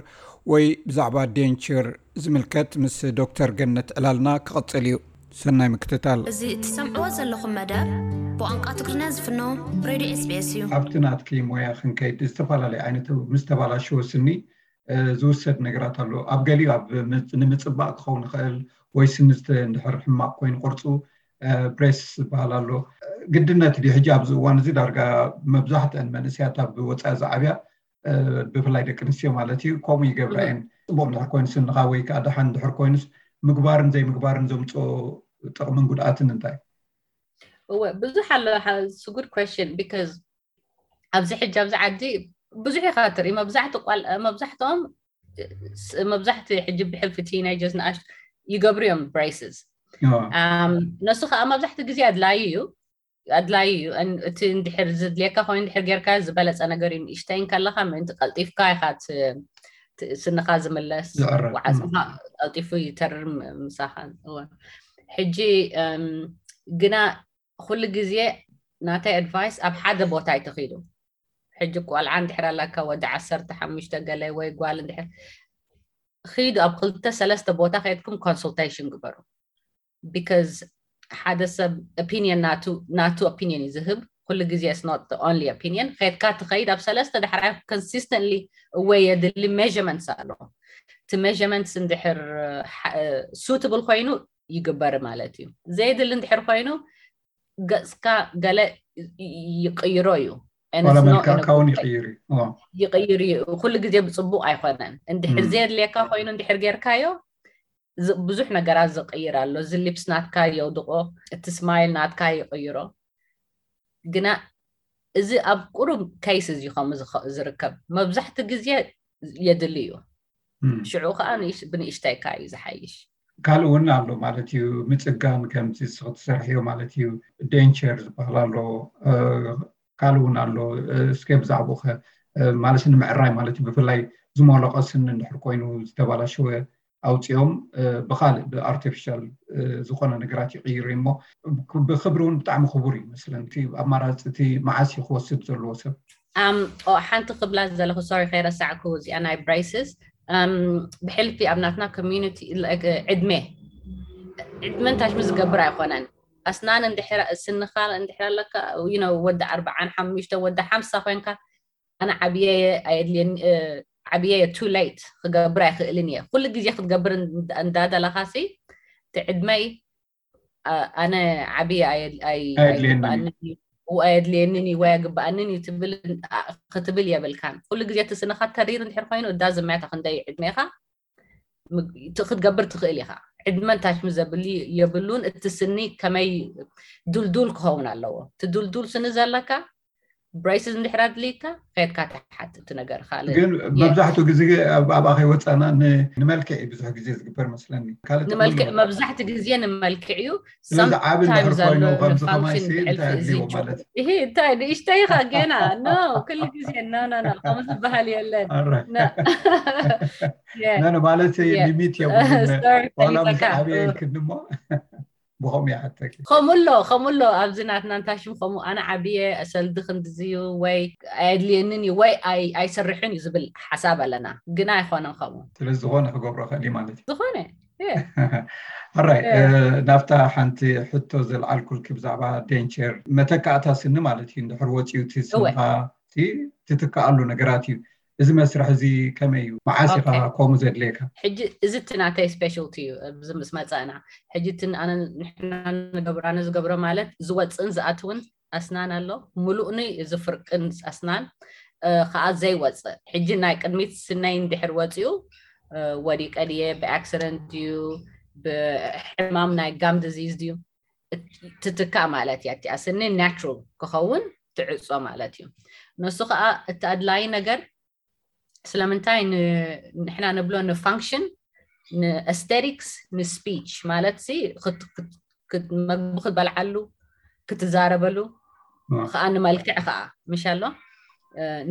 ወይ ብዛዕባ ዴንቸር ዝምልከት ምስ ዶክተር ገነት ዕላልና ክቕጽል እዩ። ሰናይ ምክትታል። እዚ እትሰምዕዎ ዘለኹም መደብ ብቋንቋ ትግርኛ ዝፍኖ ሬድዮ ኤስቢኤስ እዩ። ኣብቲ ናትኪ ሞያ ክንከይድ ዝተፈላለዩ ዓይነት ምስ ተባላሸወ ስኒ ዝውሰድ ነገራት ኣሎ። ኣብ ገሊኡ ኣብ ንምፅባቕ ክኸውን ይኽእል ወይ ስኒ እንድሕር ሕማቕ ኮይኑ ቅርፁ ብሬስ ዝበሃል ኣሎ። ግድነት ድዩ ሕጂ ኣብዚ እዋን እዚ ዳርጋ መብዛሕትአን መንእሰያት ኣብ ወፃኢ ዝዓብያ ብፍላይ ደቂ ኣንስትዮ ማለት እዩ ከምኡ ይገብራ እየን። ፅቡቕ እንድሕር ኮይኑ ስንኻ ወይ ከዓ ደሓን እንድሕር ኮይኑስ ምግባርን ዘይምግባርን ዘምፅኦ ጥቕምን ጉድኣትን እንታይ? እወ ብዙሕ ኣሎ። It's a good question because ኣብዚ ሕጂ ኣብዚ ዓዲ ብዙሕ ኢኻ ትርኢ። መብዛሕትኦም መብዛሕቲ ሕጂ ብሕልፊ teenagers ንኣሽ ይገብሩ እዮም braces። ነሱ ከዓ መብዛሕቲ ግዜ ኣድላዩ እዩ ኣድላዩ እዩ። እቲ እንድሕር ዝድልየካ ኮይኑ እንድሕር ጌርካ ዝበለፀ ነገር እዩ። ንእሽተይ እንከለካ ምእንቲ ቀልጢፍካ ኢካ ስንኻ ዝምለስ፣ ዋዕፅኻ ቀልጢፉ ይተርር ምሳኻ። ሕጂ ግና ኩሉ ግዜ ናተይ ኣድቫይስ ኣብ ሓደ ቦታ ኣይተኺዱ። ሕጂ ቆልዓ እንድሕር ኣለካ ወዲ ዓሰርተ ሓሙሽተ ገለ ወይ ጓል እንድሕር ኺዱ ኣብ ክልተ ሰለስተ ቦታ ከይድኩም ኮንሱልቴሽን ግበሩ። Because ሓደ ሰብ ኦፒኒየን ናቱ ኦፒኒየን እዩ ዝህብ። ኩሉ ግዜ it's not the only opinion። ከይድካ ትኸይድ ኣብ ሰለስተ ዳሕራይ consistently እወ የድሊ measurements ኣሎ። እቲ measurements እንድሕር suitable ኮይኑ ይግበር ማለት እዩ። ዘየድሊ እንድሕር ኮይኑ ገፅካ ገለ ይቅይሮ እዩ። ዋላ መልክዕካ እውን ይቅይር እዩ። ይቅይር እዩ። ኩሉ ግዜ ብፅቡቅ ኣይኮነን። እንድሕር ዘየድልየካ ኮይኑ እንድሕር ጌርካዮ ብዙሕ ነገራት ዝቅይር ኣሎ። እዚ ሊፕስ ናትካ የውድቆ፣ እቲ ስማይል ናትካ ይቅይሮ። ግና እዚ ኣብ ቁሩብ ኬይስ እዩ ከምኡ ዝርከብ። መብዛሕቲ ግዜ የድሊ እዩ። ሽዑ ከዓ ብንእሽተይካ እዩ ዝሓይሽ። ካልእ እውን ኣሎ ማለት እዩ። ምፅጋን ከምዚ ክትሰርሕዮ ማለት እዩ። ዴንቸር ዝበሃል ኣሎ። ካልእ እውን ኣሎ። እስከ ብዛዕባኡ ከ ማለት ንምዕራይ ማለት እዩ። ብፍላይ ዝሞለቐ ስኒ እንድሕር ኮይኑ ዝተባላሸወ ኣውፂኦም ብካልእ ብኣርቲፊሻል ዝኾነ ነገራት ይቕይሩ እሞ ብክብሪ እውን ብጣዕሚ ክቡር እዩ መስለኒ። እቲ ኣማራፂ እቲ መዓስ እዩ ክወስድ ዘለዎ ሰብ? ሓንቲ ክብላ ዘለኹ ሶሪ ከይረሳዕኩ እዚኣ ናይ ብሬስስ ብሕልፊ ኣብ ናትና ኮሚኒቲ ዕድመ ዕድመ ንታሽሚ ዝገብር ኣይኮነን። ኣስናን እንድሕር ስንኻ እንድሕር ኣለካ ወዲ ኣርባዓን ሓሙሽተ ወዲ ሓምሳ ኮይንካ ኣነ ዓብየ ኣየድልየኒ ዓብየ ቱ ሌት ክገብር ኣይክእልን እየ። ኩሉ ግዜ ክትገብር እንዳደለኻሲ እቲ ዕድመይ ኣነ ዓብየ ኣይግብኣንን እዩ ኣየድልየንን እዩ ወይ ኣይግብኣንን እዩ ክትብል የብልካን። ኩሉ ግዜ እቲ ስንኻ ተሪር እንድሕር ኮይኑ እዳ ዝመያታ ክንደይ ዕድሜኻ ክትገብር ትኽእል ኢኻ። ዕድመን ታሽሚ ዘብል የብሉን። እቲ ስኒ ከመይ ዱልዱል ክኸውን ኣለዎ። እቲ ዱልዱል ስኒ ዘለካ ብሬስስ እንድሕር ኣድልይካ ከድካ ትሓትት ነገር ካልእ ግን መብዛሕትኡ ግዜ ኣብኣ ከይወፃና ንመልክዕ ብዙሕ ግዜ ዝግበር መስለኒ። ካልእ ንመልክዕ መብዛሕቲ ግዜ ንመልክዕ እዩ። ስለዚ ዓቢ እንድሕር ኮይኑ ከምዚ ከማይሲ እንታይ ኣድልዎ ማለት እዩ? እንታይ ንእሽተይ ኢኻ ገና ኖ ኩሉ ግዜ ኖ ኖ ኖ ከምዚ ዝበሃል የለን። ኖ ማለት ሊሚት የብሉን። ዋላ ምስ ዓብየ ኢልክኒ እሞ ብኸምኡ ይሓተኪ። ከምኡ ኣሎ ከምኡ ኣሎ። ኣብዚ ናትና እንታይ ሽም ከምኡ ኣነ ዓብየ ሰልዲ ክንድዚ እዩ ወይ ኣየድልየንን እዩ ወይ ኣይሰርሕን እዩ ዝብል ሓሳብ ኣለና። ግና ኣይኮነን ከምኡ። ስለዝኾነ ክገብሮ ክእል ማለት እዩ። ዝኾነ ሕራይ ናብታ ሓንቲ ሕቶ ዘልዓልኩልኪ ብዛዕባ ዴንቸር መተካእታ ስኒ ማለት እዩ። እንድሕር ወፂኡ እቲ ስንኻ ትትክኣሉ ነገራት እዩ። እዚ መስርሕ እዚ ከመይ እዩ? መዓስ ኢኻ ከምኡ ዘድልየካ? ሕጂ እዚ እቲ ናተይ ስፔሻልቲ እዩ። ኣብዚ ምስ መፀእና ሕጂ እቲ ኣነ ንሕና ንገብሮ ኣነ ዝገብሮ ማለት ዝወፅእን ዝኣትውን ኣስናን ኣሎ። ሙሉእኒ እዚ ፍርቅን ኣስናን ከዓ ዘይወፅእ ሕጂ ናይ ቅድሚት ስነይ እንድሕር ወፂኡ ወዲቀ ድየ ብኣክሲደንት ድዩ ብሕማም ናይ ጋም ድዚዝ ድዩ ትትካእ ማለት እያ። እቲኣ ስኒ ናቹራል ክኸውን ትዕፆ ማለት እዩ። ንሱ ከዓ እቲ ኣድላይ ነገር ስለምንታይ ንሕና ንብሎ ንፋንክሽን ንኤስቴቲክስ ንስፒች ማለት ሲ መግቢ ክትበልዓሉ ክትዛረበሉ ከዓ ንመልክዕ ከዓ ምሽ ኣሎ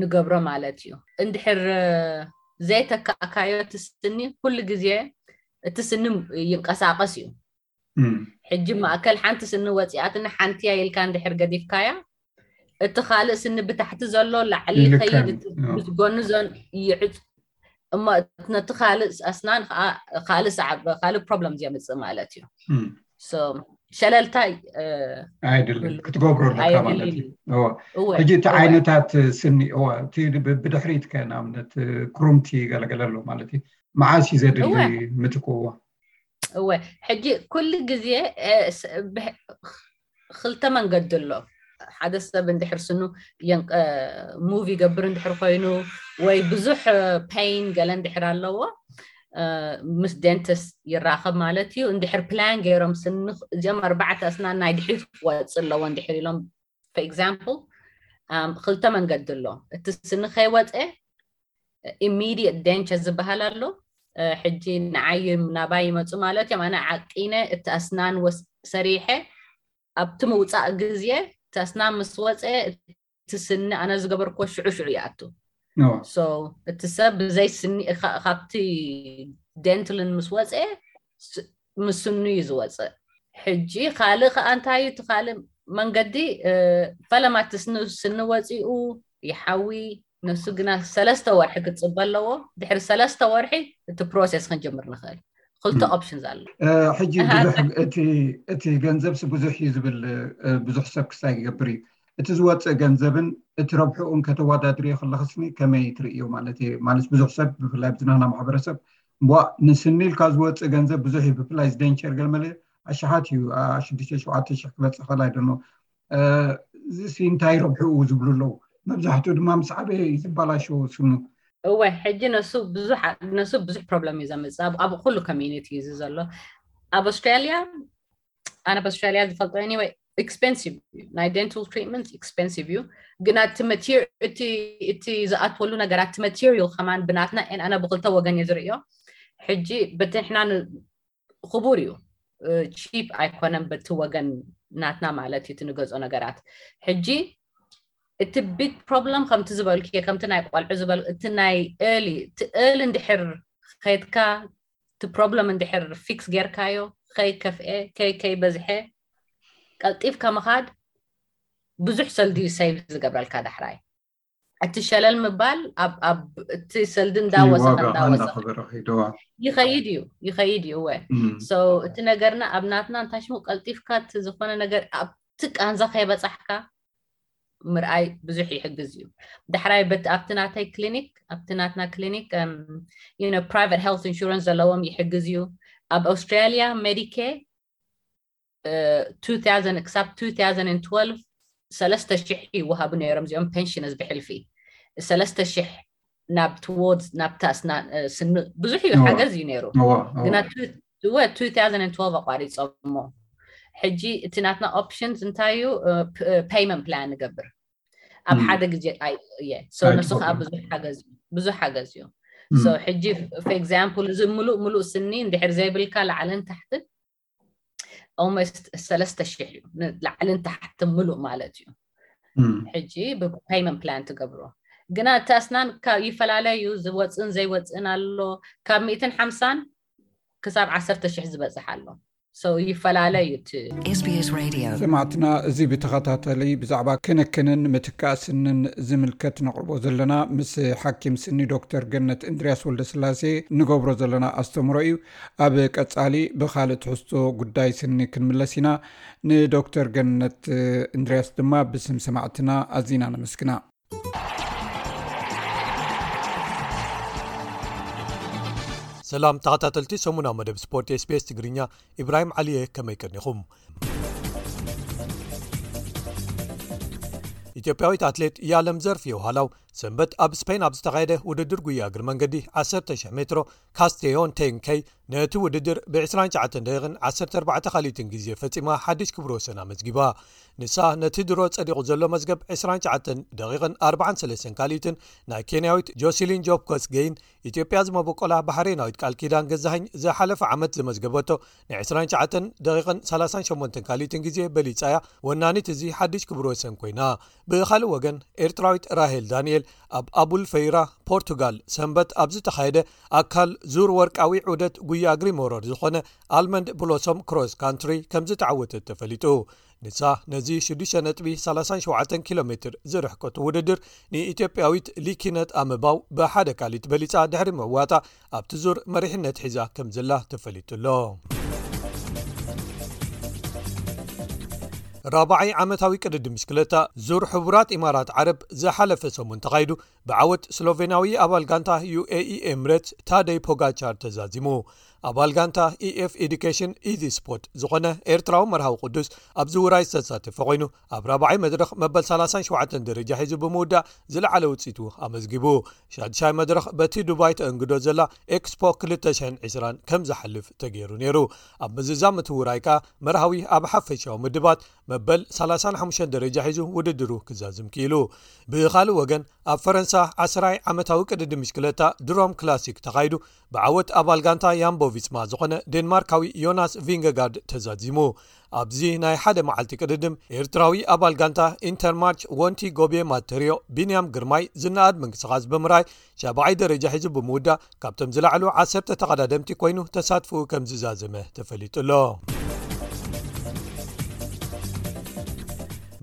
ንገብሮ ማለት እዩ። እንድሕር ዘይተካእካዮ እቲ ስኒ ኩሉ ግዜ እቲ ስኒ ይንቀሳቀስ እዩ። ሕጂ ማእከል ሓንቲ ስኒ ወፂኣትኒ ሓንቲያ ኢልካ እንድሕር ገዲፍካያ እቲ ካልእ ስኒ ብታሕቲ ዘሎ ላዕሊ ይልከም። ይኸይድ እቲ ምስ ጎኒ ዞን ይዕፅ እሞ ነቲ ካልእ ኣስናን ከዓ ካልእ ሰዓብ ካልእ ፕሮብለም የምፅእ ማለት እዩ። እም። So ሸለልታ ኣይድልን ክትገብሮ ኣለካ ማለት እዩ። ሕጂ እቲ ዓይነታት ስኒ እቲ ብድሕሪት ከ ንኣብነት ክሩምቲ ገለገለ ኣሎ ማለት እዩ። መዓስ እዩ ዘድሊ ምትክዎ? እወ ሕጂ ኩሉ ግዜ ክልተ መንገዲ ኣሎ። ሓደ ሰብ እንድሕር ስኑ ሙቭ ይገብር እንድሕር ኮይኑ ወይ ብዙሕ ፔን ገለ እንድሕር ኣለዎ ምስ ደንቲስት ይራኸብ ማለት እዩ። እንድሕር ፕላን ገይሮም ስኒ እዚኦም ኣርባዕተ ኣስናን ናይ ድሕሪት ክወፅእ ኣለዎ እንድሕር ኢሎም for example ክልተ መንገዲ ኣሎ። እቲ ስኒ ከይወፀ ኢሚዲየት ደንቸር ዝበሃል ኣሎ። ሕጂ ንዓይ ናባይ ይመፁ ማለት እዮም። ኣነ ዓቂነ እቲ ኣስናን ሰሪሐ ኣብቲ ምውፃእ ግዜ እቲ ኣስናን ምስ ወፀ እቲ ስኒ ኣነ ዝገበርክዎ ሽዑ ሽዑ ይኣቱ። እቲ ሰብ ብዘይ ስኒ ካብቲ ደንትልን ምስ ወፀ ምስ ስኑ እዩ ዝወፅእ። ሕጂ ካልእ ከዓ እንታይ እዩ እቲ ካልእ መንገዲ? ፈለማ እቲ ስኒ ወፂኡ ይሓዊ። ነሱ ግና ሰለስተ ወርሒ ክትፅበ ኣለዎ። ድሕሪ ሰለስተ ወርሒ እቲ ፕሮሴስ ክንጅምር ንኽእል። ክልተ ኦፕሽንስ ኣሎ። ሕጂ ብዙሕ እቲ ገንዘብሲ ብዙሕ እዩ ዝብል ብዙሕ ሰብ ክሳይ ይገብር እዩ። እቲ ዝወፅእ ገንዘብን እቲ ረብሕኡን ከተወዳድርዮ ከለኽስኒ ከመይ ትርእዮ ማለት እዩ? ማለት ብዙሕ ሰብ ብፍላይ ብዝናና ማሕበረሰብ ንስኒ ኢልካ ዝወፅእ ገንዘብ ብዙሕ እዩ። ብፍላይ ዝደንቸር ገለመለ ኣሽሓት እዩ። ሽዱሽተ ሸውዓተ ሽሕ ክበፅእ ኸል ኣይደኖ። እዚሲ እንታይ ረብሕኡ ዝብሉ ኣለዉ። መብዛሕትኡ ድማ ምስ ዓበየ እዩ ዝበላሸው ስኑ። እወ ሕጂ ነሱ ብዙሕ ነሱ ብዙሕ ፕሮብለም እዩ ዘምፅእ ኣብ ኩሉ ኮሚኒቲ እዩ ዘሎ። ኣብ ኣውስትራሊያ ኣነ ኣብ ኣውስትራሊያ ዝፈልጦ anyway ኤክስፔንሲቭ እዩ። ናይ ደንታል ትሪትመንት ኤክስፔንሲቭ እዩ። ግና እቲ ማቴሪያል እቲ ዝኣትወሉ ነገራት እቲ ማቴሪያል ከማን ብናትና ኣነ ብክልተ ወገን እየ ዝርእዮ። ሕጂ በቲ ንሕና ክቡር እዩ። ቺፕ ኣይኮነን በቲ ወገን ናትና ማለት እዩ እቲ ንገዝኦ ነገራት። ሕጂ እቲ ቢግ ፕሮብለም ከምቲ ዝበልኩ ከምቲ ናይ ቆልዑ ዝበል እቲ ናይ ኤርሊ እቲ ኤርሊ እንድሕር ከይድካ እቲ ፕሮብለም እንድሕር ፊክስ ጌርካዮ ከይከፍኤ ከይከይበዝሐ ቀልጢፍካ ምኻድ ብዙሕ ሰልዲ ሴቭ ዝገብረልካ ዳሕራይ። እቲ ሸለል ምባል ኣብ እቲ ሰልዲ እንዳወሰኸ እንዳወሰኸ ይኸይድ እዩ ይኸይድ እዩ። እወ እቲ ነገርና ኣብ ናትና እንታይ ሽሙ ቀልጢፍካ እቲ ዝኾነ ነገር ኣብቲ ቃንዛ ከይበፃሕካ ምርኣይ ብዙሕ ይሕግዝ እዩ። ዳሕራይ በቲ ኣብቲ ናተይ ክሊኒክ ኣብቲ ናትና ክሊኒክ ፕራይቨት ሄልት ኢንሹራንስ ዘለዎም ይሕግዝ እዩ። ኣብ ኣውስትራሊያ ሜዲኬር ክሳብ two thousand twelve ሰለስተ ሽሕ ይወሃቡ ነይሮም እዚኦም ፔንሽነርስ ብሕልፊ ሰለስተ ሽሕ ናብ ትዎርድስ ናብታ ስኒ ብዙሕ እዩ ሓገዝ እዩ ነይሩ። ግና two thousand twelve ኣቋሪፆሞ። ሕጂ እቲ ናትና ኦፕሽንስ እንታይ እዩ? ፔይመንት ፕላን ንገብር ኣብ ሓደ ግዜ እየ። ንሱ ከዓ ብዙሕ ሓገዝ እዩ። ሕጂ for example እዚ ምሉእ ምሉእ ስኒ እንድሕር ዘይብልካ ላዕልን ታሕትን almost ሰለስተ ሽሕ እዩ ላዕልን ታሕትን ምሉእ ማለት እዩ። ሕጂ ብፔይመንት ፕላን ትገብሮ። ግና እቲ ኣስናን ይፈላለ እዩ። ዝወፅእን ዘይወፅእን ኣሎ። ካብ ሚእትን ሓምሳን ክሳብ ዓሰርተ ሽሕ ዝበፅሕ ኣሎ። ይፈላለ እዩ እቲ። ሰማዕትና፣ እዚ ብተኸታተሊ ብዛዕባ ክንክንን ምትካእ ስንን ዝምልከት ነቕርቦ ዘለና ምስ ሓኪም ስኒ ዶክተር ገነት እንድርያስ ወልደስላሴ ንገብሮ ዘለና ኣስተምሮ እዩ። ኣብ ቀጻሊ ብኻልእ ትሕዝቶ ጉዳይ ስኒ ክንምለስ ኢና። ንዶክተር ገነት እንድርያስ ድማ ብስም ሰማዕትና ኣዚና ነመስግና። ሰላም ተኸታተልቲ ሰሙናዊ መደብ ስፖርት ኤስቢኤስ ትግርኛ፣ ኢብራሂም ዓሊየ፣ ከመይ ቀኒኹም? ኢትዮጵያዊት ኣትሌት ያለም ዘርፍ የውሃላው ሰንበት ኣብ ስፔን ኣብ ዝተኻየደ ውድድር ጉያ እግሪ መንገዲ ዓሰርተ ሽሕ ሜትሮ ካስቴዮን ቴንከይ ነቲ ውድድር ብ ዕስራን ትሽዓተን ደቂቕን ዓሰርተ ኣርባዕተ ካልኢትን ግዜ ፈጺማ ሓድሽ ክብረ ወሰን ኣመዝጊባ። ንሳ ነቲ ድሮ ጸዲቑ ዘሎ መዝገብ ዕስራን ትሽዓተን ደቂቕን ኣርባዓን ሰለስተን ካልኢትን ናይ ኬንያዊት ጆሲሊን ጆብ ኮስጌይን ኢትዮጵያ ዝመበቆላ ባሕሬናዊት ቃል ኪዳን ገዛኸኝ ዝሓለፈ ዓመት ዘመዝገበቶ ናይ ዕስራን ትሽዓተን ደቂቕን ሰላሳን ሸሞንተን ካልኢትን ግዜ በሊጻ እያ። ወናኒት እዚ ሓድሽ ክብረ ወሰን ኮይና። ብኻልእ ወገን ኤርትራዊት ራሄል ዳንኤል ኣብ ኣቡል ፈይራ ፖርቱጋል ሰንበት ኣብ ዝተኻየደ ኣካል ዙር ወርቃዊ ዑደት ጉያ እግሪ መውረድ ዝኾነ ኣልመንድ ብሎሶም ክሮስ ካንትሪ ከም ዝተዓወተት ተፈሊጡ። ንሳ ነዚ ሽዱሽተ ነጥቢ ሰላሳን ሸውዓተን ኪሎ ሜትር ዝርሕቀቱ ውድድር ንኢትዮጵያዊት ሊኪነት ኣመባው ብሓደ ካልኢት በሊጻ ድሕሪ ምዕዋታ ኣብቲ ዙር መሪሕነት ሒዛ ከም ዘላ ተፈሊጡ ኣሎ። ራብዓይ ዓመታዊ ቅድድም ብሽክለታ ዙር ሕቡራት ኢማራት ዓረብ ዝሓለፈ ሰሙን ተኻይዱ ብዓወት ስሎቬናዊ ኣባል ጋንታ ዩ ኤ ኢ ኤምሬትስ ታደይ ፖጋቻር ተዛዚሙ። ኣባል ጋንታ ኢ ኤፍ ኤዱኬሽን ኢዚ ስፖርት ዝኾነ ኤርትራዊ መርሃዊ ቅዱስ ኣብዚ ውራይ ዝተሳተፈ ኮይኑ፣ ኣብ ራብዓይ መድረኽ መበል ሰላሳን ሸውዓተን ደረጃ ሒዙ ብምውዳእ ዝለዓለ ውፅኢቱ ኣመዝጊቡ። ሻድሻይ መድረኽ በቲ ዱባይ ተእንግዶ ዘላ ኤክስፖ ክልተ ሽሕን ዕስራን ከም ዝሓልፍ ተገይሩ ነይሩ። ኣብ ምዝዛም እቲ ውራይ ከኣ መርሃዊ ኣብ ሓፈሻዊ ምድባት መበል ሰላሳን ሓሙሽተን ደረጃ ሒዙ ውድድሩ ክዛዝም ክኢሉ። ብኻልእ ወገን ኣብ ፈረንሳ ዓስራይ ዓመታዊ ቅድድም ብሽክለታ ድሮም ክላሲክ ተኻይዱ ብዓወት ኣባል ጋንታ ያምቦ ቪስማ ዝኾነ ዴንማርካዊ ዮናስ ቪንገጋርድ ተዛዚሙ። ኣብዚ ናይ ሓደ መዓልቲ ቅድድም ኤርትራዊ ኣባል ጋንታ ኢንተርማርች ወንቲ ጎቤ ማተርዮ ቢንያም ግርማይ ዝነኣድ ምንቅስቓስ ብምርኣይ ሻብዓይ ደረጃ ሒዙ ብምውዳእ ካብቶም ዝለዓሉ ዓሰርተ ተቐዳደምቲ ኮይኑ ተሳትፎኡ ከም ዝዛዘመ ተፈሊጡ ኣሎ።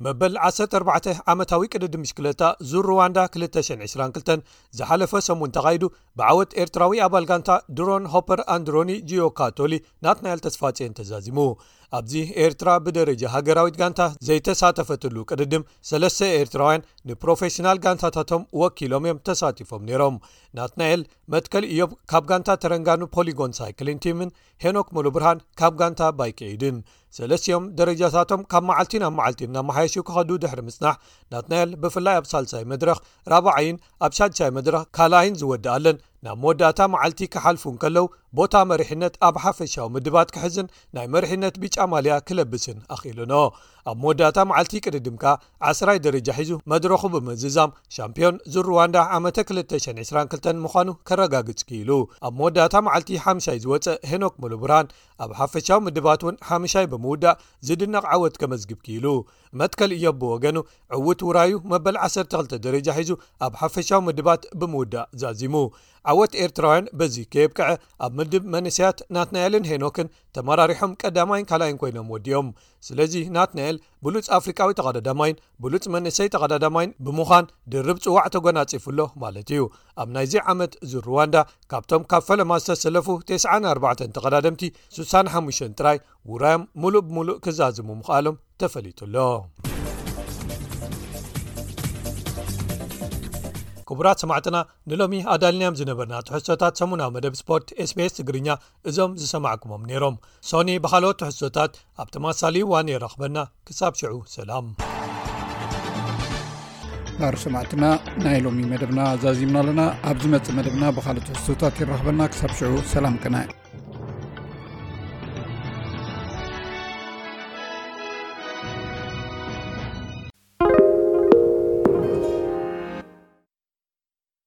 መበል ዓሰርተ ኣርባዕተ ዓመታዊ ቅድድም ብሽክለታ ዙር ሩዋንዳ ክልተ ሽሕን ዕስራን ክልተን ዝሓለፈ ሰሙን ተኻይዱ ብዓወት ኤርትራዊ ኣባል ጋንታ ድሮን ሆፐር ኣንድሮኒ ጂዮ ካቶሊ ናትናኤል ተስፋጽዮን ተዛዚሙ። ኣብዚ ኤርትራ ብደረጃ ሃገራዊት ጋንታ ዘይተሳተፈትሉ ቅድድም ሰለስተ ኤርትራውያን ንፕሮፌሽናል ጋንታታቶም ወኪሎም እዮም ተሳቲፎም ነይሮም። ናትናኤል መትከል ኢዮብ ካብ ጋንታ ተረንጋኑ ፖሊጎን ሳይክሊን ቲምን ሄኖክ ሙሉብርሃን ካብ ጋንታ ባይክ ኤይድን ሰለስቲኦም ደረጃታቶም ካብ መዓልቲ ናብ መዓልቲ እናመሓየሹ ክኸዱ ድሕሪ ምጽናሕ፣ ናትናኤል ብፍላይ ኣብ ሳልሳይ መድረኽ ራብዓይን ኣብ ሻድሻይ መድረኽ ካልኣይን ዝወድኣለን ናብ መወዳእታ መዓልቲ ክሓልፉ እንከለዉ ቦታ መሪሕነት ኣብ ሓፈሻዊ ምድባት ክሕዝን ናይ መሪሕነት ቢጫ ማልያ ክለብስን ኣኽኢሉኖ። ኣብ መወዳእታ መዓልቲ ቅድድም ከኣ ዓስራይ ደረጃ ሒዙ መድረኹ ብምዝዛም ሻምፒዮን ዙር ሩዋንዳ ዓመተ ክልተ ሽሕን ዕስራን ክልተን ምዃኑ ከረጋግጽ ክኢሉ። ኣብ መወዳእታ መዓልቲ ሓምሻይ ዝወጸ ሄኖክ ሙሉብርሃን ኣብ ሓፈሻዊ ምድባት እውን ሓምሻይ ብምውዳእ ዝድነቕ ዓወት ከመዝግብ ክኢሉ። መትከል ኢዮብ ብወገኑ ዕዉት ውራዩ መበል ዓሰርተ ክልተ ደረጃ ሒዙ ኣብ ሓፈሻዊ ምድባት ብምውዳእ ዛዚሙ። ዓወት ኤርትራውያን በዚ ከየብቅዐ ኣብ ምድብ መንእሰያት ናትናኤልን ሄኖክን ተመራሪሖም ቀዳማይን ካልኣይን ኮይኖም ወዲኦም። ስለዚ ናትናኤል ብሉጽ ኣፍሪቃዊ ተቐዳዳማይን ብሉጽ መንእሰይ ተቐዳዳማይን ብምዃን ድርብ ጽዋዕ ተጎናጺፉ ኣሎ ማለት እዩ። ኣብ ናይዚ ዓመት ዙር ሩዋንዳ ካብቶም ካብ ፈለማ ዝተሰለፉ ተስዓን ኣርባዕተን ተቐዳደምቲ ስሳን ሓሙሽተን ጥራይ ውራዮም ሙሉእ ብሙሉእ ክዛዝሙ ምኽኣሎም ተፈሊጡ ኣሎ። ክቡራት ሰማዕትና፣ ንሎሚ ኣዳልናዮም ዝነበርና ትሕዝቶታት ሰሙናዊ መደብ ስፖርት ኤስ ቢ ኤስ ትግርኛ እዞም ዝሰማዕኩሞም ነይሮም። ሶኒ ብኻልኦት ትሕዝቶታት ኣብ ተመሳሳሊ እዋን የራኽበና። ክሳብ ሽዑ ሰላም። ባር ሰማዕትና፣ ናይ ሎሚ መደብና ዛዚምና ኣለና። ኣብ ዝመጽእ መደብና ብኻልእ ትሕዝቶታት ይራኽበና። ክሳብ ሽዑ ሰላም ቅነ።